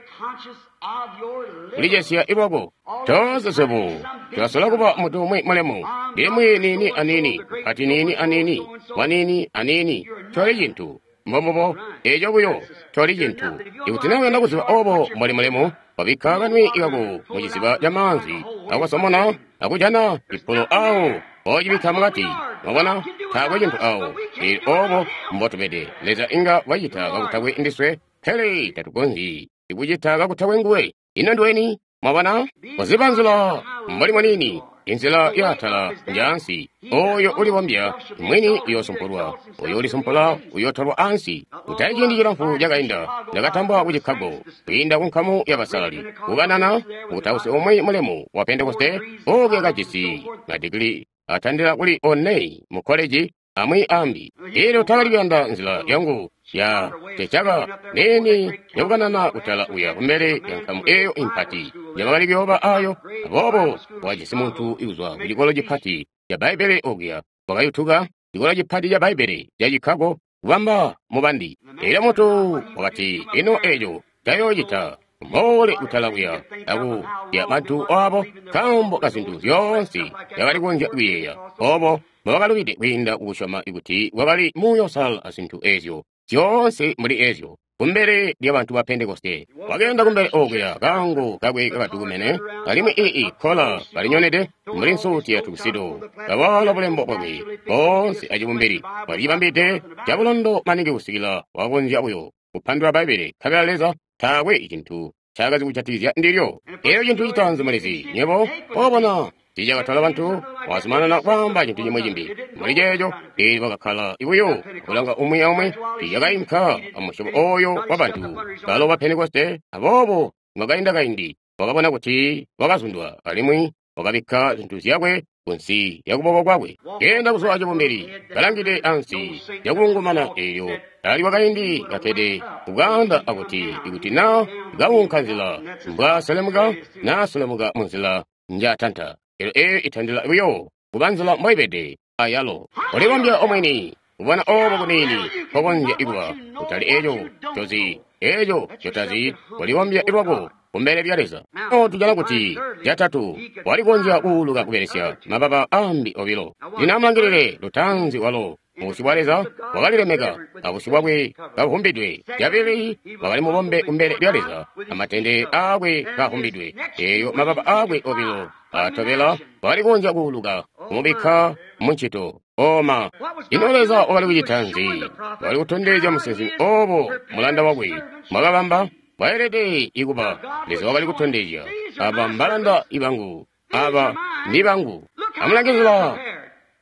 kulicesya ilwako. Toonse swebo tulasola kuba muntu umwi mulemu, limwi niini aniini, mupati niini aniini, waniini aniini. Toli cintu. Mbombubo, eco buyo, toli cintu. Ikuti na uyanda kuziba obo mboli mulemu, wabikka kanwi kako mu ciziba ca maanzi, akukasomona, akujana cipulo awo, ocibikka mukati. Mwabona, taakwe cintu awo. Pele obo mbotubede. Leza inga wacita kakutakwe ndiswe, pele tatukonzyi kucita kakutakwe nguwe. Ino ndiweni? Mwabona, kuziba nzila mboli mwanini, inzila yaatala njaansi. Oyo ulibombya mwini uyoosumpulwa, oyo ulisumpula uyootolwa ansi. Kutali ciindi cilamfu cakainda, ndakatambwa ku Chicago kwiinda ku nkamu ya basalali kukanana mukutausi umwi mulemu wa Pentekoste okuya kajisi madigili atandila kuli 4 mu koleji amwi ambi. Elyo takali kuyanda nzila yangu ya cecaka nini yakukanana kutala uya kumbele ya nkamu eyo impati njabakali kuyooba ayo. Aboobo wakajisi muntu ikuzwa ku cikolo cipati ca Bbaibbele okuya, wakayutuka cikolo cipati ca Bbaibbele ca Chicago kubamba mubandi. Elyo muntu wakati, Ino eco cayoocita mboole kutala kuya aku ya bantu abo, nkaambo ka zintu zyoonse zyakali kukonzya kuyeeya obo mbobakalubide kwiinda kukusyoma kuti kwakali Muuya Uusalala a zintu ezyo zyoonse mbuli ezyo kumbele lya bantu ba Pentekoste. Wakeenda kumbele okuya, kaango kakwe kakadukumene, alimwi ii kkola kalinyonede mbuli nsuuti ya tuxedo, kawaala bulembo bwakwe boonse acibumbili. Walicibambide cabulondo maningi kusikila wakakonzya buyo kupandula Bbaibbele, nkabela Leza taakwe cintu ncaakazi kujatikizya ndilyo. Elyo cintu citaanzi mulizi, nywebo mwabona, tiicakatola bantu, wazumanana kwaamba cintu cimwi cimbi mbuli ceeco. Elyo bakakkala buyo akulanga umwi aumwi, tiicakainka amusyobo oyo wa bantu balo ba Pentekoste. Aboobo mwakainda kaindi, wakabona kuti wakazundwa, alimwi wakabikka zintu zyakwe kunsi lya kuboko kwakwe. Keenda kuzwa acibumbili, kalangide ansi cakulungumana, elyo ali wakaindi kakkede kubwaanda akuti, ikuti na kaunka nzila mbwaselemuka, naselemuka munzila njatanta. Elyo eyo itandila buyo kuba nzila mboibede ayalo. Ulibombya omwini, kubona obo kuniini nkokonzya kuba, kutali eco ncozi, eco ncotazi, ulibombya lwako kumbele lya Leza. Lino tujana kuti catatu, walikonzya kuuluka kubelesya mababa ambi obilo. Lino amulangilile lutaanzi walo, mubusyu bwa Leza wakalilemeka, abusyu bwakwe kabuvumbidwe. Cabili, wakali mubombe kumbele lya Leza, amatende aakwe kavumbidwe. Eyo mababa aakwe obilo atobela wakalikonzya kuuluka, kumubikka muncito. Oma. Ino Leza wakali kucita nzi? Wakali kutondezya musinsimi obo mulanda wakwe mbwakabamba bwaelede ikuba. Leza wakali kutondezya, aba mbalanda ibangu, aba ndi bangu. Amulangilila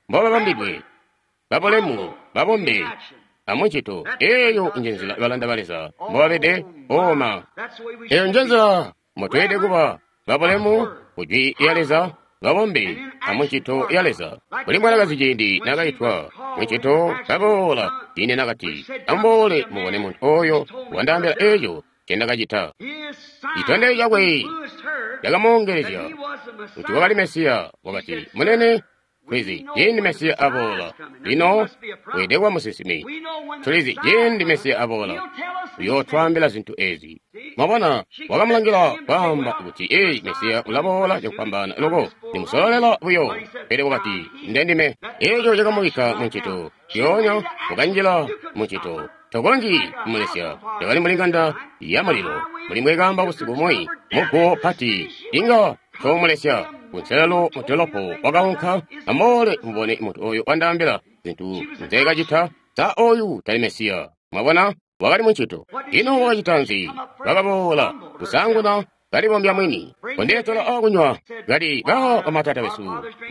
mbobabambidwe, babulemu, babombe, amuncito. Eyo njenzila balanda ba Leza mbobabede. Oma. Eyo njenzila mbotweelede kuba, babulemu kujwi lya Leza, babombe amuncito ya Leza. Kuli mwanakazi ciindi nakaitwa muncito kaboola, ciindi nakati, amuboole mubone muntu oyo wandaambila eco ncendakacita. Citondezyo cakwe cakamoongelezya kuti wakali Mesiya. Wakati, Munene, tulizi ciindi Mesiya aboola. Lino weelede kuba musinsimi. Tulizi ciindi Mesiya aboola, uyootwaambila zintu ezi. Mwabona, wakamulangila kwaamba kuti, "Ee, Mesiya ulaboola cakufwambaana loko, ndimusololela buyo." Pele wakati, "Ndendime." Eeco cakamubikka mu ncito. Zyoonya wakanjila mu ncito. Tokonzyi kumulesya. Cakali mbuli ng'anda ya mulilo, mbuli mbwekaamba busiku bumwi, muguwo pati, inga toomulesya. Kunselelo mu dolopo wakaunka, "Amuboole mubone muntu oyo wandaambila zintu nzeekacita. Sa oyu tali Mesiya?" Mwabona, wakali mu ncito. Ino wakacita nzi? Wakaboola kusaanguna kalibombya mwini. "Kondeetela aakunywa." Kati, "Ba bamatata besu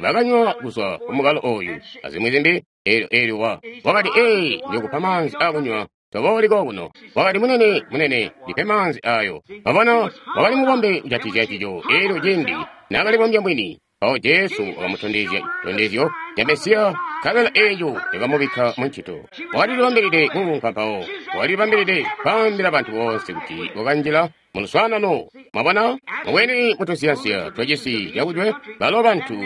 bakanywa kuzwa ku mukalo oyu," azimwi zimbi. Eelyo wa wakati, "Ee, ndiyokupa maanzi aakunywa. Tobooli kokuno." Wakati, "Munene, munene, ndipe maanzi ayo." Mwabona, wakali mubombe kujatizya cico. Eelyo cindi naakalibombya mwini, mpawo Jesu wakamutondezya citondezyo ca Mesiya, nkabela eeco cakamubikka mu ncito. Wakalilibambilide kuunka mpawo, wakalilibambilide kwaambila bantu boonse kuti wakanjila mu luswaanano. Mwabona, mubwini mu tunsiyansiya twacisi cakujwe, balo bantu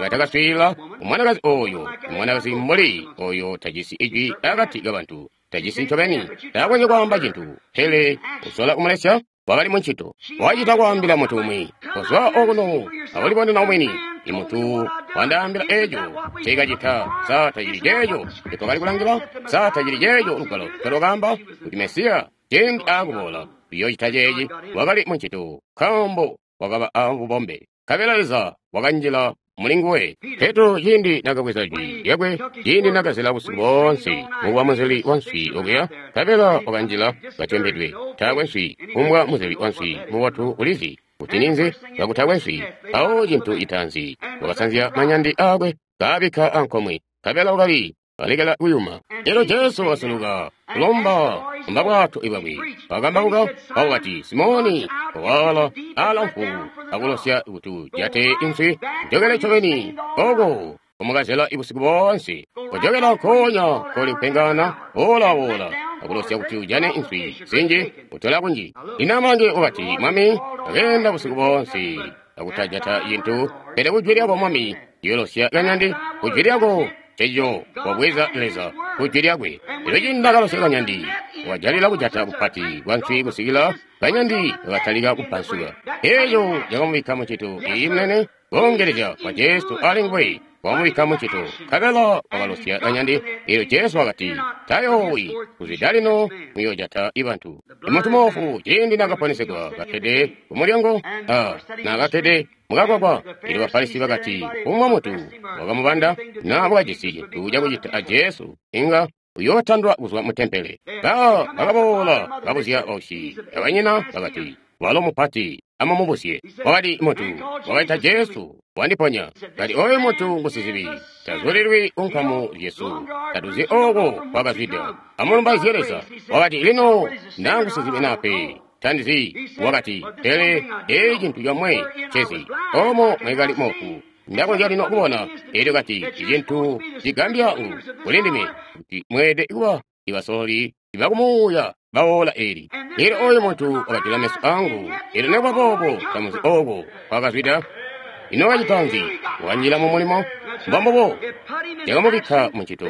batakaswiilila mwanakazi oyo, mwanakazi mbuli oyo tajisi ijwi akati kabantu, tajisi ncobeni, takonzyi kwaamba cintu, pele usola kumulesya. Wakali mu ncito. Wacita kwaambila muntu umwi, "Kozwa okuno, akulibonena omwini. I muntu wandaambila eeco nceekacita. Sa tacili ceeco ncitwakali kulangila? Sa tacili ceeco Lugwalo ncolwakaamba kuti Mesiya cindi aakuboola uyoocita ceeci?" Wakali mu ncito, nkaambo wakaba a bubombe. Nkabela Leza wakanjila muli nguwe. Petro cindi nakabweza jwi lyakwe, cindi nakazela busiku boonse mukuba muzeli wa nswi okuya, nkabela wakanjila katyempedwe, taakwe nswi. Kumbwa muzeli wa nswi mubotu ulizi kuti ninzi kakutakwe nswi. Mpawo cintu citaanzi, wakasanzya manyandi aakwe, kaabikka ankomwe, nkabela wakali alekela kuyuma. Elyo Jesu wakasuluka kulomba lomba bwato bwakwe, wakambauka, mpawo kati, "Simoni, waala aalamfu akulosya kuti ujate inswi. Jokela ncobeni oko kumukazela busiku boonse. Kojokela nkoonya koli kupengana, woolawoola akulosya kuti ujane inswi zinji, kutola kunji." Lino amulange wakati, "Mwami, ndakeenda busiku boonse akutajata cintu, pele kujwi lyako, Mwami, ndiyoolosya kanyandi. Kujwi lyako." Eco wabweza Leza kujwi lyakwe. Elyo cindi nakalosya kanyandi, wakajalila kujata kupati kwa nswi kusikila kanyandi kakatalika kupansuka. Eco cakamubikka mu ncito. Iyi, munene, koongelezya kwa Jesu ali nguwe wakamubikka mu ncito, nkabela wakalosya kanyandi. Elyo Jesu wakati, "Tayoowi, kuzwida lino muyoojata bantu." Imuntu moofu cindi nakaponesegwa kakkede ku mulyango, a nakakkede mukagwagwa, elyo Bafarisi bakati, "Umwa muntu wakamubanda na wakajisi cintu cakucita a Jesu, inga uyootandwa kuzwa mu tempele." Ba bakaboola babuzya bausyi abanyina bakati, "Walo mupati, amumubuzye." Wakati, "Muntu wakaita Jesu wandiponya." Kati, "Oyu muntu ngusizibi, tazulilwi ku nkamu zyesu, tatuzi oko kwakazwida. Amulumbaizye Leza." Wakati, "Lino naa ngusizibi naa pe, tandizi." Wakati, "Pele eeci cintu comwe ncezi, omo mwekali moofu, ndakonzya lino kubona." Elyo kati, "Icintu cigambya ngu kuli ndime kuti mweelede kuba ibasololi bakumuuya bawoola eli. Elyo oyu muntu wakajula meso angu, elyo nekuba boobo tamuzi oko kwakazwida." Ino wakacita nzi? Wakanjila mu mulimo. Mbombubo, cakamubikka mu ncito,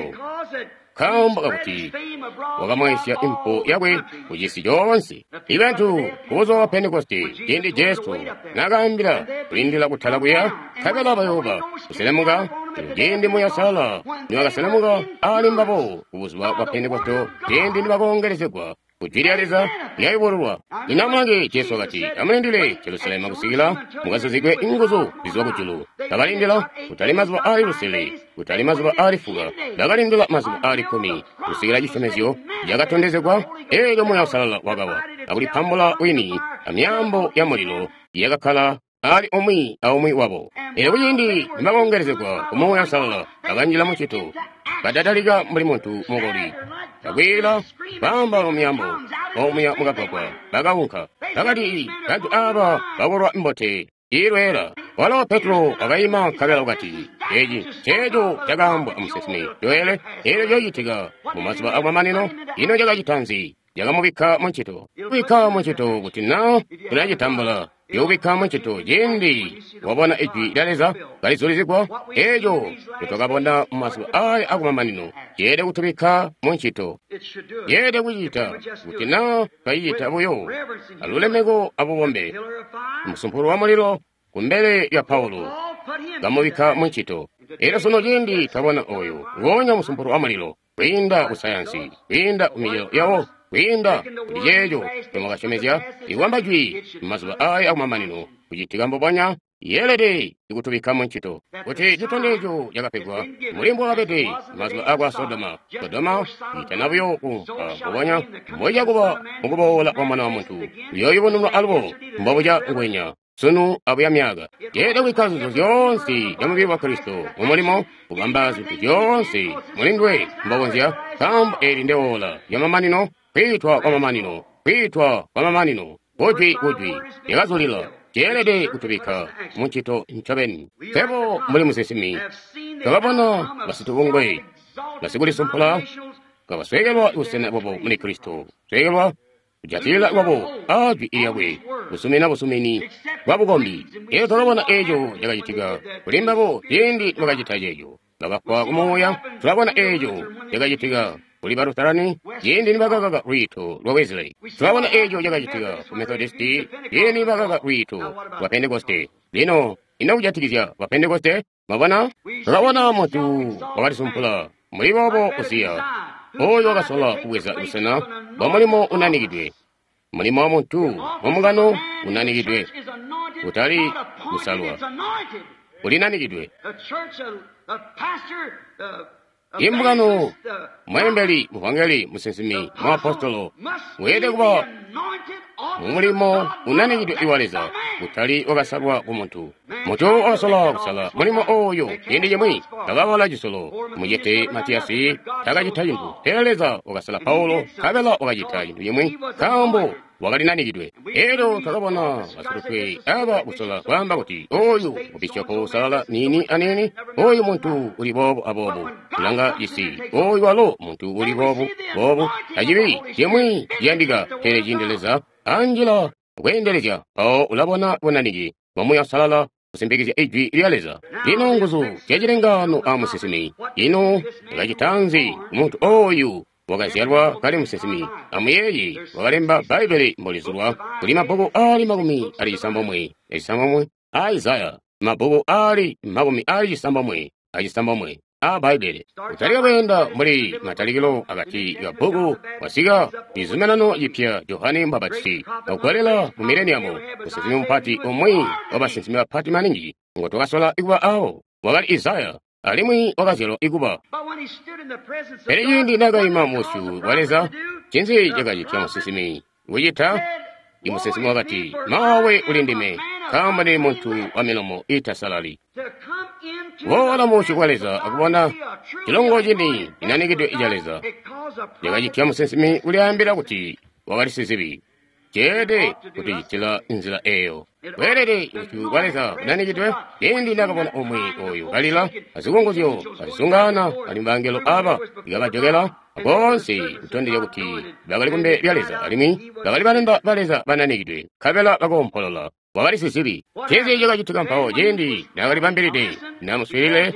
nkaambo kakuti wakamwaisya impu yakwe ku cisi coonse. Ibantu kubuzuba bwa Pentekoste, cindi Jesu nakaambila kulindila kutala kuya, nkabela bayooba kuselemuka, elyo cindi Muuya Uusalala niwakaselemuka ali mbabo kubuzuba bwa Pentekoste, cindi nibakoongelezegwa ku jwi lya Leza lyayubululwa. Lino amulange, Jesu wakati, "Amulindile Jerusalemu kusikila mukazuzigwe inguzu zizwa kujulu." Bakalindila kutali mazuba aali lusele, kutali mazuba aali fuka, bakalindila mazuba aali 10 kusikila cisyomezyo cakatondezegwa. Eelyo Muuya Uusalala wakawa akulipambula wini amyaambo ya mulilo yakakkala ali umwi aumwi wabo. Elyo kuciindi nibakoongelezegwa ku Muuya Uusalala, bakanjila mu ncito, badatalika mbuli muntu mukoli, bakwiila, baamba mu myaambo omuya mukagwagwa, bakaunka. Bakati, "Bantu aba bakolwa mbote iilweela." Walo Petro wakaima nkabela wakati, "Eci nceeco cakaambwa amusinsimi Joele, eelyo ciyocitika mu mazuba akumamanino." Ino cakacita nzi? Cakamubikka mu ncito. Kubikka mu ncito kuti naa tulacitambula. Youbikka muncito ciindi wabona Ijwi lya Leza kalizulizigwa, eeco ncotwakabona mumazuba aya akumamanino ceelede kutubikka muncito. Yeelede kucita kuti naa twacicita buyo alulemeko abubombe. Musumpulu wa mulilo kumbele lya Paulo kamubikka muncito. Elyo sunu ciindi twabona oyo nguonya musumpulu wa mulilo kwiinda ku sayansi, kwiinda ku micelo yawo, kwiinda kuli ceeco ncomwakasyomezya, ikwamba jwi mumazuba aya akumamanino kucitika mbubonya, yeelede kutubikka muncito. Kuti citondezyo cakapegwa mbuli mbwakabede mazuba akwa Sodoma, Sodoma itana buyo kuumpwa mbubonya mboija kuba mukuboola kwa Mwana wa Muntu, uyooyubununwa alubo mbobuca ngwenya sunu abuya myaka. Yeelede kubikka zintu zyoonse zya mubili wa Kristo mumulimo, kubamba zintu zyoonse muli nduwe mbokonzya, nkaambo eli ndeola lyamamanino, kwiitwa kwamamanino, kwiitwa kwamamanino, kujwi kujwi lyakazulila. Ceelede kutubikka muncito ncobeni. Febo mbuli musinsimi twakabona basitubungwe basikulisumpula kabasweekelwa busena bwabo muli Kristo, sweekelwa kujatilila kwabo a jwi lyakwe, kusumina busumini bwa bukombi. Elyo twakabona eeco cakacitika kuli mbabo ciindi bakacita ceeco, bakafwa kumuuya. Tulabona eeco cakacitika kuli ba Lutarani ciindi nibakakaka lwiito lwa Wesley. Tulabona eeco cakacitika ku Methodisti ciindi nibakakaka lwiito lwa Pentekoste. Lino ino kujatikizya ba Pentekoste? Mwabona, tulabona muntu wakalisumpula mbuli boobo Uziya, oyo wakasola kubweza busena bwa mulimo unanikidwe, mulimo wa muntu mumungano unanikidwe, kutali kusalwa, ulinanikidwe. Imbungano, mweembeli, muvangeli, musinsimi, muapostolo weelede kuba mumulimo unanikidwe iwa Leza, kutali wakasalwa ku muntu. Muntu wakasola kusala mulimo oyo ciindi cimwi bakabala cisolo mucete Matiyasi takacita cintu, pele Leza wakasala Paulo nkabela wakacita cintu cimwi nkaambo wakalinanikidwe. Elyo twakabona basilutwe aba kusola kwaamba kuti oyu mubishopo usalala niini aniini, oyu muntu uli boobu aboobu, kulanga cisi, oyu walo muntu uli boobu boobu. Tacili cimwi ciyandika, pele ciindi Leza anjila kweendelezya, mpawo ulabona bunanike bwa Muuya Uusalala kusimpikizya Ijwi lya Leza. Lino nguzu zyacilengaano a musinsimi, ino yakacita nzi muntu oyu wakazyalwa kali musinsimi? Amuyeeye, wakalemba Bbaibbele mbolizulwa kuli mabbuku aali 69 a Isaya, mabbuku aali 96 a Bbaibbele. Kutalika kweenda mbuli matalikilo akati ka bbuku wasika cizuminano cipya Johane Mbapatizi kakugolela mu mileniamu. Musinsimi mupati, umwi wa basinsimi bapati maningi ngo twakasola kuba awo, wakali Isaya, alimwi wakazyalwa ikuba. Pele ciindi naakaima musyu wa Leza, ncinzi cakacitya musinsimi kucita? Imusinsimi wakati, "Maawe uli ndime, nkaambo ndili muntu wa milomo iitasalali." Kuboola musyu kwa Leza akubona cilongo cini cinanikidwe ca Leza, cakacitya musinsimi kulyaambila kuti wakali sizibi. Ceelede kutucitila nzila eyo. Weelede busyu bwa Leza bunanikidwe. Ciindi nakabona umwi oyu kalila azikunguzyo azisungana alimwi bangelo aba ikabajokela boonse kutondezya kuti bakali kumbele lya Leza alimwi bakali balanda ba Leza bananikidwe, nkabela bakoompolola. Wakali sizibi. Ncinzi cakacitika mpawo ciindi nakalibambilide namuswiilile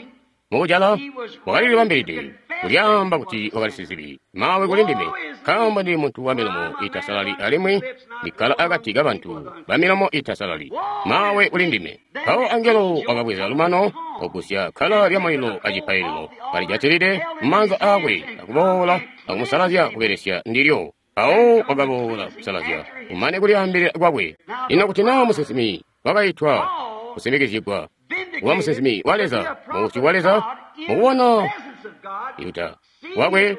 mukujala? Wakalilibambilide kulyaamba kuti wakali sizibi. "Maawe kuli ndime, nkaambo ndili muntu wa milomo iitasalali alimwi ndikkala akati kabantu ba milomo iitasalali. Maawe kuli ndime." Mpawo angelo wakabweza lumano ogusya kkala lya mulilo acipaililo kalijatilide mumaanza aakwe akuboola akumusalazya kubelesya ndilyo. Mpawo wakaboola kusalazya kumane kulyaambilila kwakwe. Lino kuti naa musinsimi wakaitwa kusimbikizyigwa kuba musinsimi wa Leza mubusyu bwa Leza, mukubona Yuda wakwe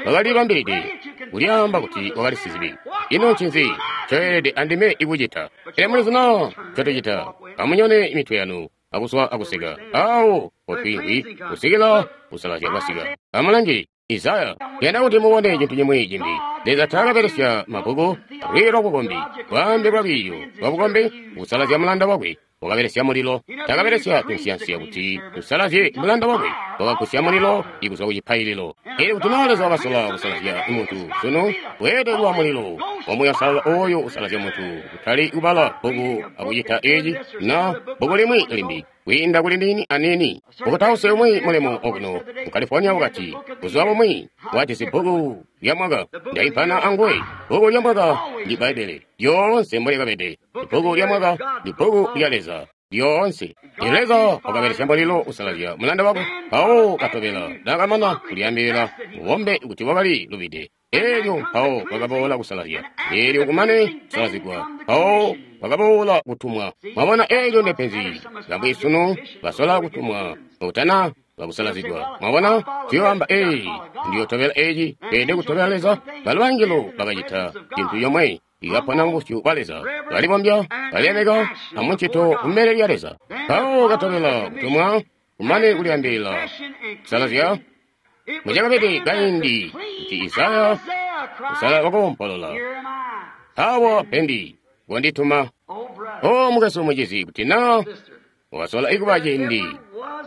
wakalibambilide kulyaamba kuti wakali sizibi, ino ncinzi ncoelede andime ikucita? Pele mulizi naa ncotucita? Amunyone mitwe yanu akuswa akuseka awo potwiimvwi kusikila kusalazya kwasika. Amulange Isaya. Yanda kuti mubone cintu cimwi cimbi. Leza taakabelesya mabbuku alwiiyo lwabukombi, bwaambe bwalwiiyo lwabukombi kusalazya mulanda wakwe. Wakabelesya mulilo. Taakabelesya tunsiyansiya kuti usalazye mulanda wakwe. Wakagusya mulilo ikuzwa ku cipaililo. Elyo kuti naa Leza wakasola kusalazya muntu sunu, weelede kuba mulilo wa Muuya Uusalala oyo usalazya muntu, kutali kubala bbuku akucita eci na bbuku limwi limbi, kwiinda kuli niini aniini. Mukutausi umwi mulemu okuno mu California wakati, buzuba bumwi wajisi bbuku lya mwaka. Ndaimpana anguwe. Bbuku lya mwaka ndi Bbaibbele lyoonse mbolikabede. Bbuku lya mwaka ndi bbuku lya Leza lyoonse. Leza wakabelesya mulilo usalazya mulanda wakwe, mpawo katobela nakamana kulyaambilila mubombe kuti wakali lubide. Elyo mpawo kwakaboola kusalazya, elyo kumane kusalazigwa, mpawo kwakaboola kutumwa. Mwabona, elyo ndepenzi bamwi sunu basola kutumwa kutana bakusalazigwa. Mwabona, tuyoamba ee, ndiyotobela eci, tweelede kutobela Leza. Balo bangelo bakacita cintu yomwe, ikapona mubusyu bwa Leza, balibombya, balemeka amuncito kumbele lya Leza. Mpawo katobela kutumwa, kumane kulyaambilila kusalazya. Mucakabede kaindi kuti Isaya kusala wakoompolola, awa pendi kondituma. O mukwesu mucizi, kuti na wakasola ikuba ciindi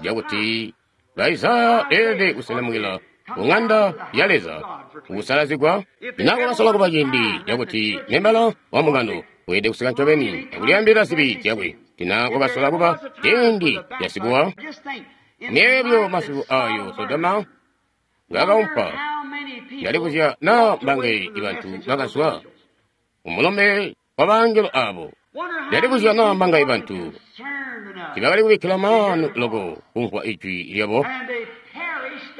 cakuti ba Isaya beelede kuselemukila ku ng'anda ya Leza kukusalazigwa, na kwakasola kuba ciindi cakuti membala wa mbungano weelede kusika ncobeni akulyaambilila zibi zyakwe, tina kwakasola kuba ciindi casikuwa myeebyo masiku ayo Sodoma ngakaumpa. Ndalibuzya na mbange ibantu bakazwa umulome wa bangelo abo. Ndalibuzya na mbange ibantu tibakali kubikkila maanu loko kumvwa ijwi lyabo.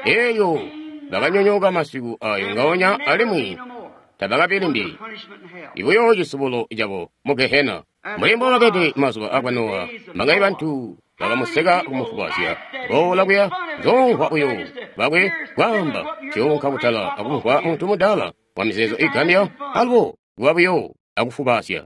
Elyo bakanyonyooka masiku ayo ngaonya alimwi tabakabi limbi ibuyo cisubulo cabo mu Gehena. Mbuli mbobakede mazuba akwa Nowa, mbange bantu bakamuseka kumufubazya boola kuya nzomvwa uyo bakwe kwaamba ciunka kutala akumvwa muntu mudala wa mizeezo igambya alubo kuba buyo akufubazya.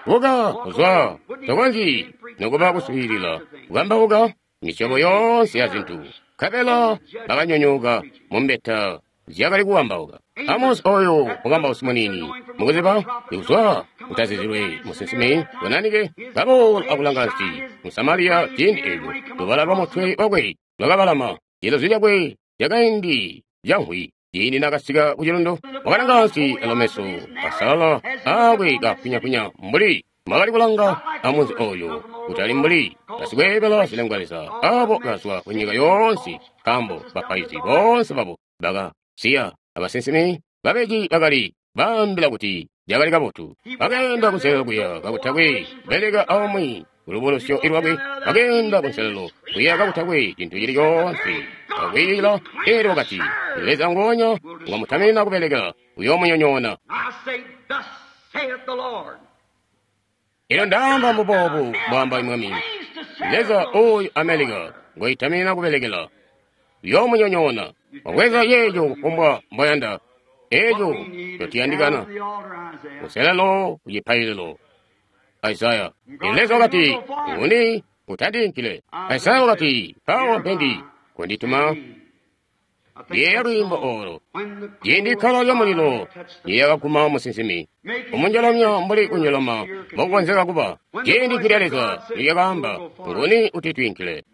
Buka kuzwa tokonzyi nokuba kuswiilila kukambauka misyobo yoonse ya zintu. Nkabela bakanyonyooka mumbeta zyakali kuwambauka. Amos oyo mukambausi muniini mukuziba kuzwa kutazizilwe musinsimi bunanike kaboola akulanga nsi mu Samariya ciindi eco lubala lwa mutwe wakwe lwakabalama cilozi cakwe cakaindi canhwi. Ciindi nakasika ku cilundu wakalanga nsi alomeso asalala aakwe kapunyapunya mbuli mwakali kulanga amunzi oyo, kutali mbuli basikweebela zilengwa leza abo kazwa ku nyika yoonse, nkaambo bapaizi boonse babo bakasiya abasinsimi babeji bakali baambila kuti cakali kabotu. Bakeenda kunselelo kuya kakutakwe beleka aumwi kulubulusyo lwakwe, bakeenda kunselelo kuya kakutakwe cintu cili coonse akwiila. Elyo wakati, Leza ngonya ngwamutaminina kubelekela uyoomunyonyoona. Elyo ndaamba mbuboobu mbwaamba Mwami Leza oyu Amelika ngoitaminina kubelekela uyoomunyonyoona. Wabweza yeejo kufumbwa mboyanda, eejo cotiyandikana kuselelo kucipaililo. Isaya. Leza wakati, nguni utandiinkile? Isaya wakati, mpawo mpendi kondituma. Yeeya lwiimbo olo ciindi ikkala lya mulilo lyakaguma musinsimi umunjolomya mbuli kunjoloma mbokukonzeka kuba. Ciindi jwi lya Leza lyakaamba, nguni utitwiinkile?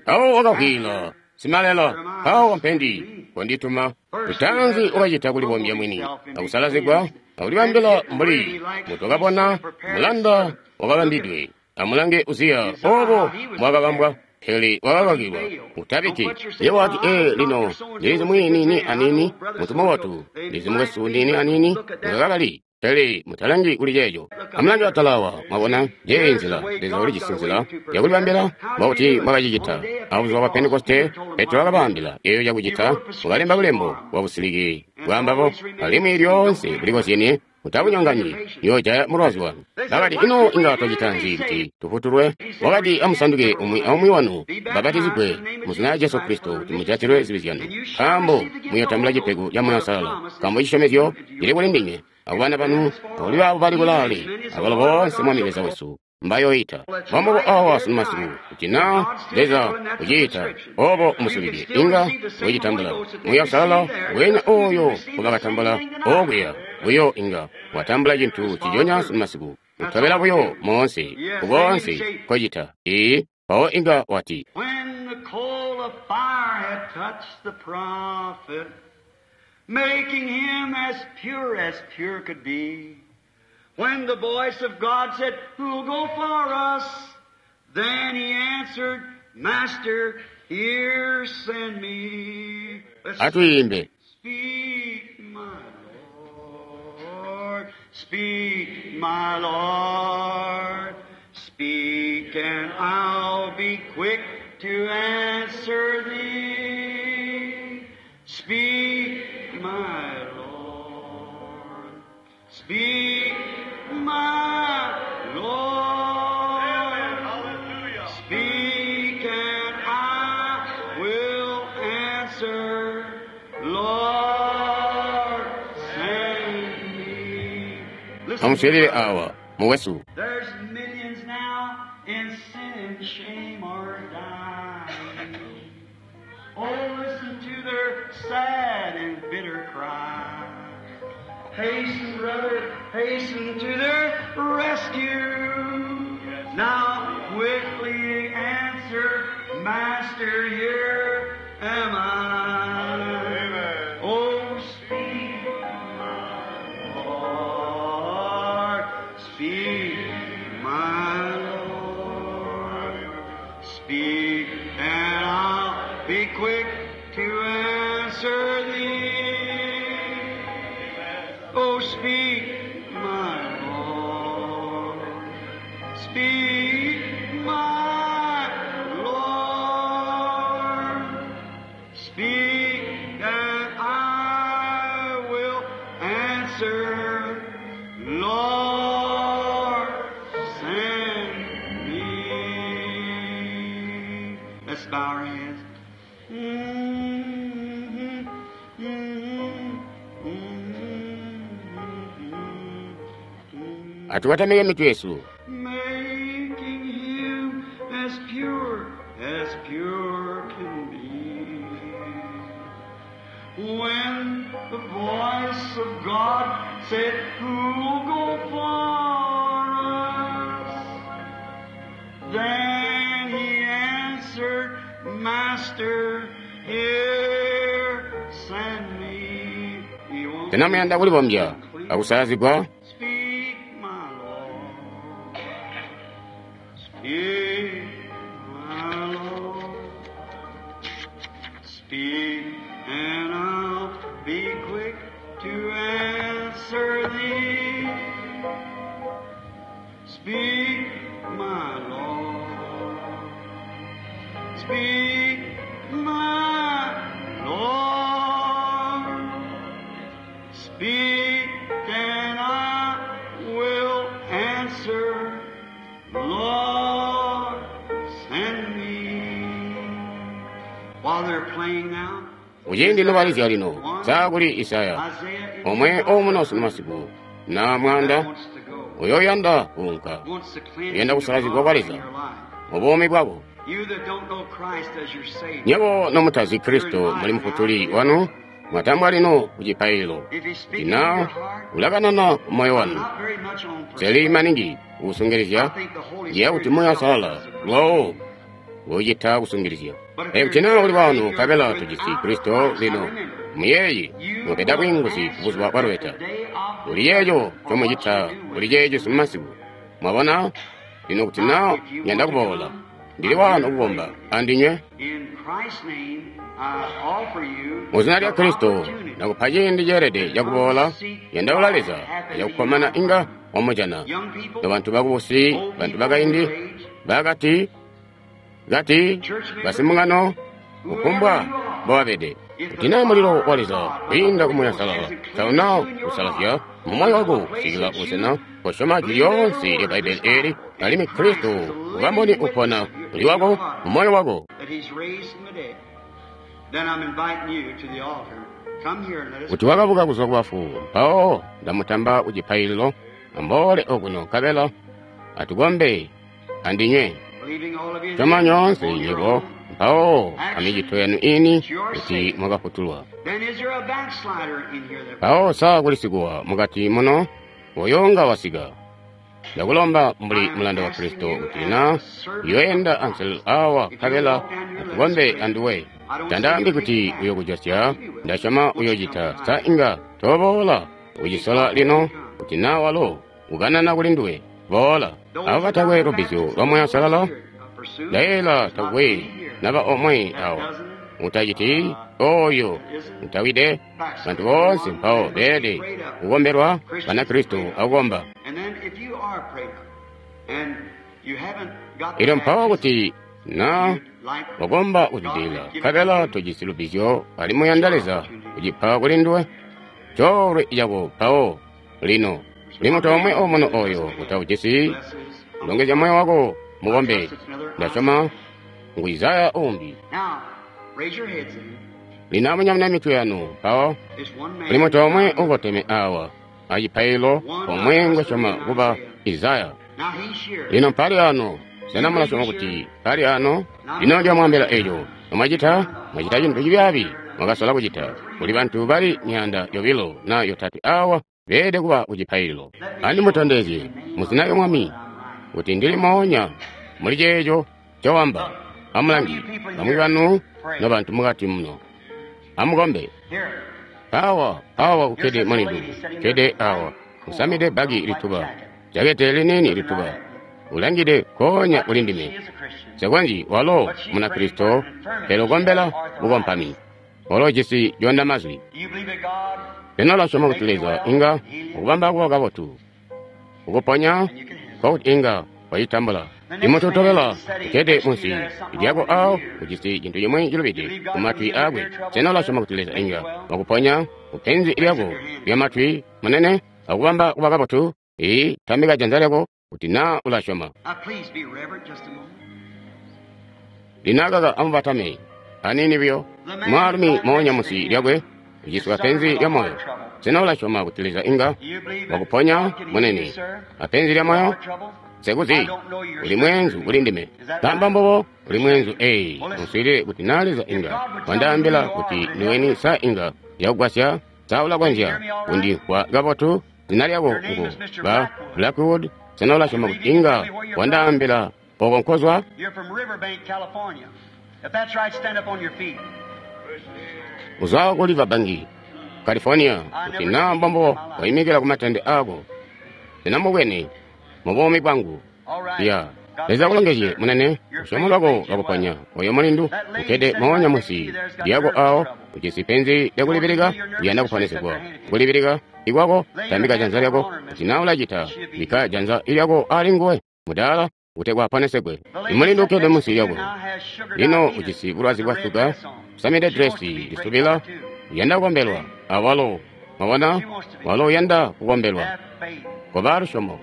Mpawo wakavwiila, simalela, mpawo mpendi kondituma. Lutanzi wakacita kulibombya mwini akusalazigwa akulibambila mbuli mutwakabona mulanda wakabambidwe. Amulange Uziya obo mbwakabambwa, pele wakakakilwa. Utabiki ye wati, ee, lino ndilizi mwini anini muntu mubotu, ndizi mukwesu nini anini ngakakali. Pele mutalangi kuli ceeco. Amulange atalawa, mwabona, njeeyi nzila Leza ulijisi nzila yakulibambila mbokuti mwakacicita. Abuzuba bwa Pentekoste, Petro wakabaambila eeyo cakucita, wakalemba bulembo bwa busiliki bwaambabo, alimwi lyoonse bulikozyenie. Mutabunyonganyi, yoojaya mulwazi wanu. Bakati, ino inga twacita nzi kuti tufutulwe? Wakati, amusanduke umwi aumwi wanu, babatizigwe mu zina lya Jesu Kristo kuti mujatilwe zibi zyanu, nkaambo muyotambula cipego ca Muuya Uusalala, nkaambo cisyomezyo cili kuli ndinywe akubana banu akuli baabo bali kulaale, abalo boonse Mwami Leza wesu mbayoita. Mbombubo awa sunu masiku, kuti na Leza uciita obo musulide, inga wicitambula Muuya Uusalala wenya oyo ngubakatambula okuya buyo inga watambula cintu ciconya sunu masiku, utobela buyo moonse kukoonse nkocita. Ee, mpawo inga wati, When the coal of fire had touched the prophet, Making him as pure as pure could be. When the voice of God said, Who'll go for us? Then he answered, Master, here send me. Let's Atuyimbe. Speak, my Lord. Speak, my Lord. Speak, and I'll be quick to answer thee. Speak, my Lord. Speak, my Lord. Speak, and I will answer. Lord, send me. Listen, Amuswelele awa mukwesu. there's millions now in sin and shame are dying. Oh, listen to their sad and bitter cry. Hasten, brother, hasten to their rescue. Now quickly answer, Master, here am I. Oh, speak, my Lord, speak, my Lord. Speak, and I'll be quick to answer thee. Oh, speak, my Lord. Speak, my Lord. Speak, and I will answer. Lord, send me. Let's bow our heads. Mm-hmm, mm-hmm, mm-hmm, mm-hmm. Atuwatamike mitu yesu. Making him as pure as pure can be. When the voice of God said, Who'll go for us? Then he answered, Master, here send me. He won't Tinamuyanda kulibombya akusalazigwa. Speak, my Lord. Speak, my Lord. Speak, and I'll be quick to answer thee. Speak, my Lord. Speak, my Lord. Speak, and I will answer. Lord, send me. While they're playing now, Kuchindi lobalizya lino sakuli Isaya Isaiah in omwe omuno masiku na mwanda wants to go, uyoyanda kuunka wants to cleanse Uyanda kusalazigwa kwa Leza in your life. mu buumi bwako. You that don't know Christ as your Savior, Nyebo nomutazi Kristo muli mufutuli wanu mwatambwa lino ku chipayilo if He's speaking to your ina heart, ulakanana ku moyo I'm wanu not very much on seli persuasion. maningi I kusungirizya think the Holy ndiye kuti Spirit moyo himself asalala does the lwawo wochita kusungilizya. But if Eyo you're tina uli wanu you're kabela tujisi without Kristo Christ, now lino remember, muyeyi you mupeda will bwinguzi ku buzuba answer bwa at lubeta. the day of the Uli yeyo judgment for chomwe what you chita do with uli it. checho simumasiku. Mwabona lino kuti Now, na if you nyanda want to kubola come, ndili I'm here wano to pray kukomba with you. andinywe In Christ's name, I offer you mu zina lya the Kristo opportunity nakupha chindi cheelede to come chakubola seek yandaula God Leza happen to you yakukomana now. inga wamujana. Young people, No bantu bakubusi old bantu people, bakaindi middle age, bakati kati church members, basimungano whoever kufumbwa you are, mbowabede. if the Kuti na mulilo fire wa of Leza God, the kwiinda Holy kumuya Ghost salala hasn't cleansed tauna you in your kusalazya heart mu moyo unto wako a place kusikila that busena you kosyoma jwi believe every lyoonse lya word of Bbaibele this eli Bible alimwi and Christ Kristo is the ukamboni living upona witness of your, uli in your wako heart mu moyo wako. that He's raised from the dead. Then I'm inviting you to the altar. Come here and let us Kuti pray. wakabuka kuzwa ku bafu mpawo ndamutamba ku chipayililo ambole okuno nkabela atukombe andinywe. Believing all of you Choma nyonse on your nyebo own mpawo action, amichito yanu ini it's your kuti sake. mwakafutulwa. Then is there a backslider in here that Mpawo saa kulisikuwa mukati muno woyonga wasika. Ndakulomba mbuli I am mulanda wa asking Kristo you kuti as na a servant of yoyenda Christ, anselelo awa if you'll nkabela walk down here, let us atukombe pray. andiwe. Tandaambi kuti uyokujosya, ndasyoma uyocita. Sa inga toboola kucisola lino kuti naa walo ukanana kuli nduwe? Boola. Abo batakwe lubbizyo lwa Muuya Uusalala, ndayeeyela takwe naba omwe awa utaciti oyo utawide. Bantu boonse mpawo beelede kukombelwa Banakristo akukomba. Elyo mpawo kuti na wakomba kuzwidilila, nkabela tojisi lubbizyo alimwi uyanda Leza kucipa kuli nduwe, coolwe cako mpawo lino. Kuli muntu omwe omuno oyo utaujisi, longezya moyo wako mukombe. Ndasyoma ngu Isaya uumbi. Lino amunyamune mitwe yanu mpawo. Kuli muntu omwe ukoteme awa acipaililo, omwe ngwesyoma kuba Isaya. Lino mpali ano. Sena mulasyoma kuti mpali ano? Lino ndiyomwaambila eco. Mwacita, mwacita cintu cibyaabi mwakasola kucita. Kuli bantu bali 200 na 3 awa beelede kuba ku cipaililo. Andimutondezye mu zina lya Mwami kuti ndili moonya muli ceeco ncowamba. Amulangi, bamwi banu nobantu mukati muno, amukombe. Awa, awa kukkede mulindu, kkede awa, usamide bbaki lituba, jakete liniini lituba, ulangide nkoonya kuli ndime. Nsekonzyi, walo Munakristo, pele ukombela bukompami. Walo ujisi coondamazwi. Sena ulasyoma kuti Leza inga ukubamba kuba kabotu, ukuponya, nkokuti inga wacitambula? Imuntu utobela ukkede munsi lyako awo ujisi cintu cimwi cilubide ku matwi aakwe. Sena ulasyoma kuti Leza inga wakuponya kupenzi lyako lya matwi, munene, akubamba kuba kabotu? Ee, tambika janza lyako kuti naa ulasyoma. Lino akaka amubatame aniini buyo. Mwaalumi moonya munsi lyakwe uciswa penzi lya moyo. Sena ulasyoma kuti Leza inga wakuponya, munene, apenzi lya moyo? Nsekuzi, uli mweenzu kuli ndime. Kamba mbubo, uli mweenzu. Ee, muswiilile kuti naa Leza inga wandaambila kuti ndiweni, sa inga yakugwasya? Sa ulakonzya kundimvwa kabotu? Zina lyako ngu ba Blackwood. Sena ulasyoma kuti inga wandaambila oko nkozwa? Uzwa ku Riverbank, California. Kuti naa mbombo waimikila ku matende aako. Sena mubwene mu buumi bwangu? Ya. Leza akulongezye, munene. Lusyomo lwako lwakuponya. Oyo mulindu ukkede moonya munsi lyako awo, ujisi penzi lyakulibilika, uyanda kuponesegwa. Kulibilika ikwako, tambika janza lyako. Kuti naa ulacita, bikka janza lyako ali nguwe, mudaala, kutegwa aponesegwe. Imulindu ukkede munsi lyako lino ujisi bulwazi bwa suga, usamide dresi lisubila, uyanda kukombelwa awalo. Mwabona, walo uyanda kukombelwa. Koba lusyomo.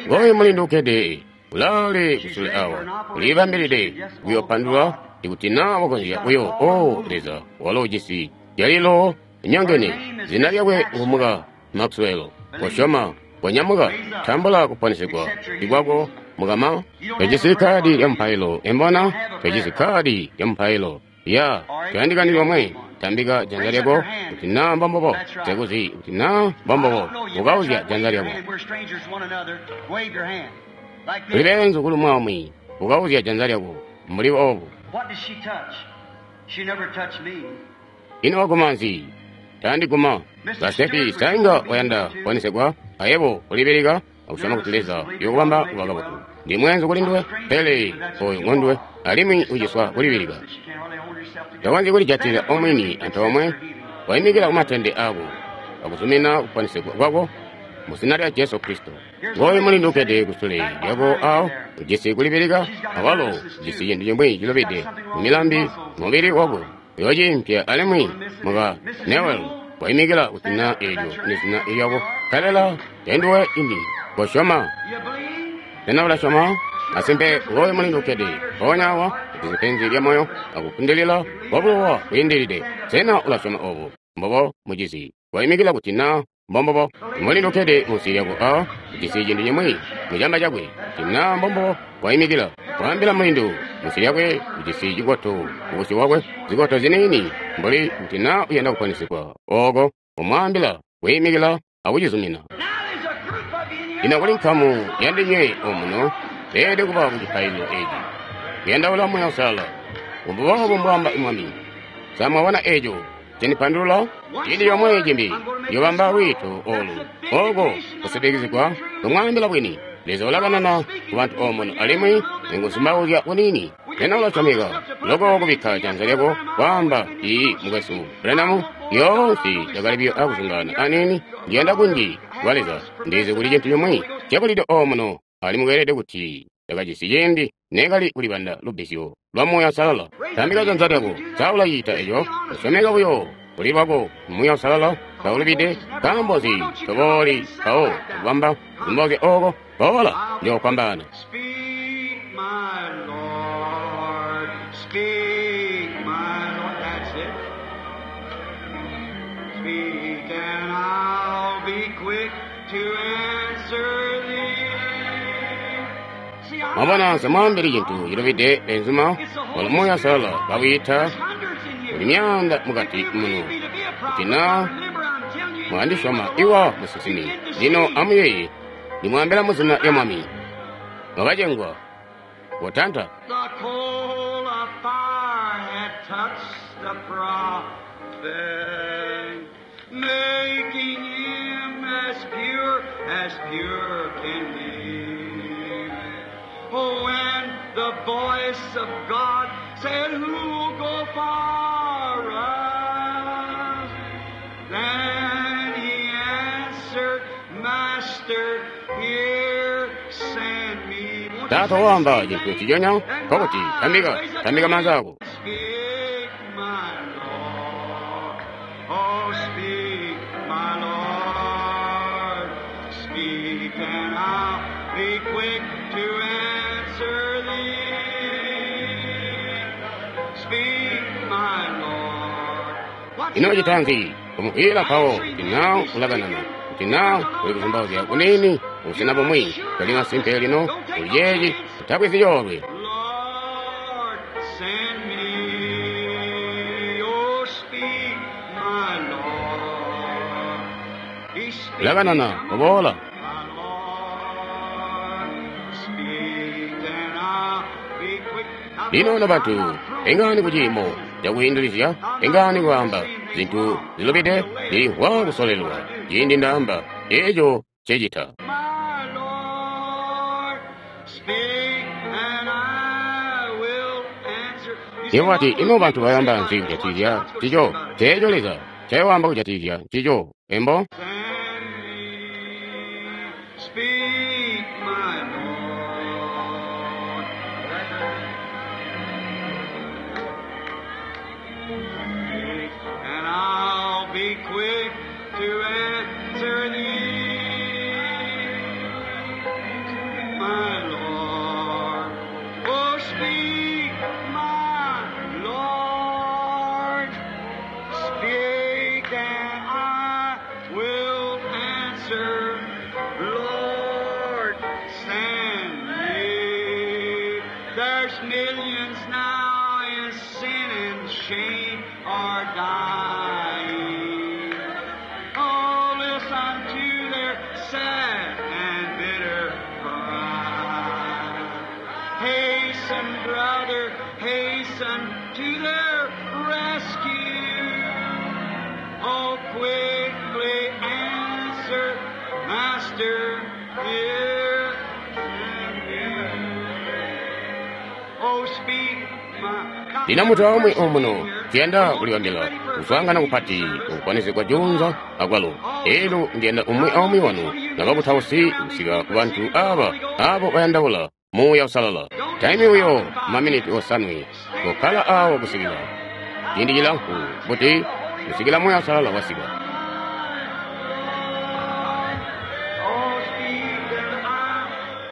Ngooyu mulindu ukkede ulaale kusule awa, ulibambilide kuyopandulwa ikuti naa wakonzya kuyo. O Leza, walo ujisi jalilo nyongene. Zina lyakwe ngumuka Maxwell. Kosyoma, konyamuka, tambula kuponesegwa ikwako, mukama. Tojisi kadi lya mupailo, embona? Tojisi kadi lya mupailo. Ya, toyandikani lomwe. Tambika janza lyako kuti naa mbombobo. Nsekuzi kuti naa mbombobo. Ukauzya janza lyako. Tuli beenzu kuli umwi. Ukauzya janza lyako mbuli obu. Ino waguma nzi? Tandiguma. Basefi, sa inga wayanda kuponesegwa? Ayebo ulibilika akusyoma kuti Leza uyokubamba kuba kabotu. Ndi mweenzu kuli nduwe, pele oyo ngonduwe, alimwi uciswa kulibilika. Takonzyi kulijatila omwini antoomwe, waimikila kumatende aako akuzumina kuponesegwa kwako mu zina lya Jesu Kristo. Ngooyu mulindu ukkede kusule lyako awo, ujisi kulibilika, awalo ujisi cintu cimwi cilubide mu milambi mubili wako. Uyoociimpya alimwi muka Newell waimikila kuzina eelyo ni zina lyako, nkabela tenduwe limbi. Kosyoma. Sena ulasyoma? Masimpe, ngooyu mulindu ukkede mpoonya awa, ujisi penzi lya moyo akufundilila kwabulowa bwiindilide. Sena ulasyoma obo? Mbobo, mucizi, waimikila kuti naa mbombobo. Mulindu ukkede munsi lyako awa, ujisi cintu cimwi mucamba cakwe, kuti naa mbombobo waimikila. Waambila mulindu munsi lyakwe, ujisi cikoto kubusyu bwakwe, zikoto ziniini, mbuli kuti naa uyanda kuponesegwa oko, umwaambila kwiimikila akucizumina. Lino kuli nkamu yandinywe omuno, beelede kuba ku cipaililo eci, kuyandaula Muuya Uusalala. Mbuboobo mbwaamba Mwami. Sa mwabona eco cindipandulula? Ciindi comwe cimbi ndiyobamba lwiito olu oko kusitikizigwa kumwaambila bwini. Leza ulakanana ku bantu omuno alimwi nikuzumauzya kuniini. Sena ulasyomeka loko kubikka janza lyako kwaamba, "Iiyi, mukwesu Branham, lyoonse ndakali buyo akuzungaana aniini. Ndiyanda kunji kwa Leza. Ndizi kuli cintu cimwi cabulide omuno, alimwi kweelede kuti ndakajisi ciindi neekali kulibanda lubbizyo lwa Muuya Uusalala." Tambika janza lyako. Sa ulacita eco? Usyomeka buyo kuli lwako Muuya Uusalala taulubide. Nkaambo nzi tobooli mpawo akubamba kuzumbauzya oko? Boola, njoofwambaana. Speak, my Lord. Speak, my Lord. That's it. Speak, and I'll be quick to answer thee. See, I'm Mwabona, nsemwaambili cintu cilubide benzuma, walo Muuya Uusalala bawiita There's hundreds in here. kuli myaanda mukati If you muno. believe me to be a prophet, Kuti naa remember I'm telling you in the name mwandisyoma of the iwa Lord. musinsimi. Begin to Lino see. amuyeeye, ndimwaambila mu zina lya Mwami. Mwakacengwa, kotanta. The coal of fire had touched the prophet, making him as pure can be. Oh, when the voice of God said, Who'll go for us? Then he answered, Master, here send me. Won't you Taata say the waamba same cintu thing? nciconya, Then nkokuti rise, tambika, raise up tambika your maanza hand. ako. Speak, my Lord. Oh, speak, my Lord. Speak, and I'll be quick to answer thee. Speak, my Lord. What's Ino he cita done? nzi? Kumukwiila mpawo kuti naa ulakanana, kuti naa uli kuzumbauzya kuniini, busena bumwi, toli masimpe lino, kuli ceeci, utabwezi coolwe. Lord, send me. Oh, speak, my Lord. He's speaking. Ulakanana, Come on. kuboola. My Lord, speak, and I'll be quick. Now, Lino folks, no I'm bantu, not throwing engani this kuciimo out. cakwiindilizya, I'm not engani throwing kwaamba the same thing zintu wrong. zilubide, I'm delayed. ndilimvwa That's what kusolelwa. I do. Ciindi ndaamba, eco ncecita. My Lord, speak and I will answer. You say, Iwo wati, what will ino bantu people say bayamba about nzi that? What's kujatikizya God's going to say ncico? about it? Ceeco Leza ncayowaamba kujatikizya ncico, embo? Send me, speak, my Lord. Speak, and I'll be quick to answer thee, my Lord. Oh, speak, my Lord. Speak, and I will answer. Lord, send me. There's millions now in sin and shame are dying. Oh, listen to their sad and bitter cry. Hasten, brother, hasten to their rescue. Oh, quickly answer, Master, here am I. Oh, speak, my. Lino mutu aumwi omuno tuyanda kulibambila kuswaangana kupati kukwanizigwa juunza akwalo. Elyo ndiyanda umwi aumwi wanu nabakutausi kusika ku bantu aba abo bayandaula Muuya Uusalala. Taimi buyo maminiti osanwe kokkala awo kusikila ciindi cilamfu buti kusikila Muuya Uusalala wasika. Oh, speak, and I.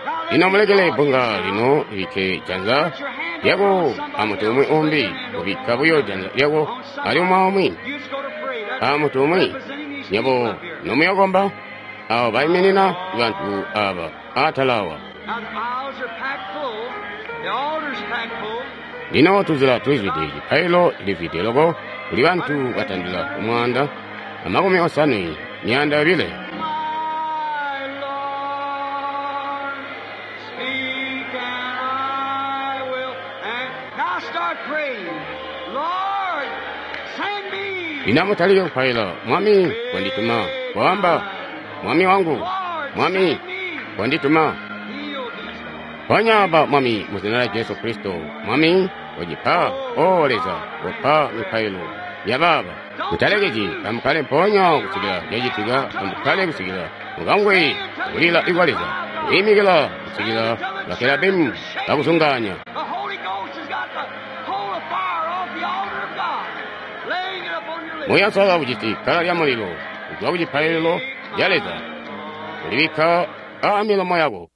Now Lino let me mulekele call bbunga you lino now. libikke janza Put your hand lyako upon somebody amuntu umwi else. Lay umbi, your hand kubikka upon buyo janza lyako on ali somebody. umwi aumwi You just go to pray. That's amuntu umwi. representing these people Nyabo up here. nomuyokomba abo baiminina bantu aba atala awa. Now the aisles are packed full. The altar's packed full. Lino tuzila tulizwide cipailo cilizwide loko kuli bantu batandila kumwaanda amakumi osanwe myaanda yobile. My Lord, speak and I will. And now start praying. Lino amutalike kupaila. Mwami, kondituma. Koamba, Mwami wangu, Mwami, kondituma. Ponya aba, Mwami, mu zina lya Jesu Kristo. Mwami, kocipa, O Leza, kopa mipailo ya baaba. Mutalekezi, amukkale mpoonya kusikila cacitika, amukkale kusikila mukamvwe kulila ikwa Leza, kwiimikila kusikila bakerabimu bakuzungaanya. The Holy Ghost has got the coal of fire off the altar of God, laying it upon your lips. Muuya Uusalala ujisi kkala lya mulilo kuzwa ku cipaililo ca Leza, kulibikka aa milomo yako.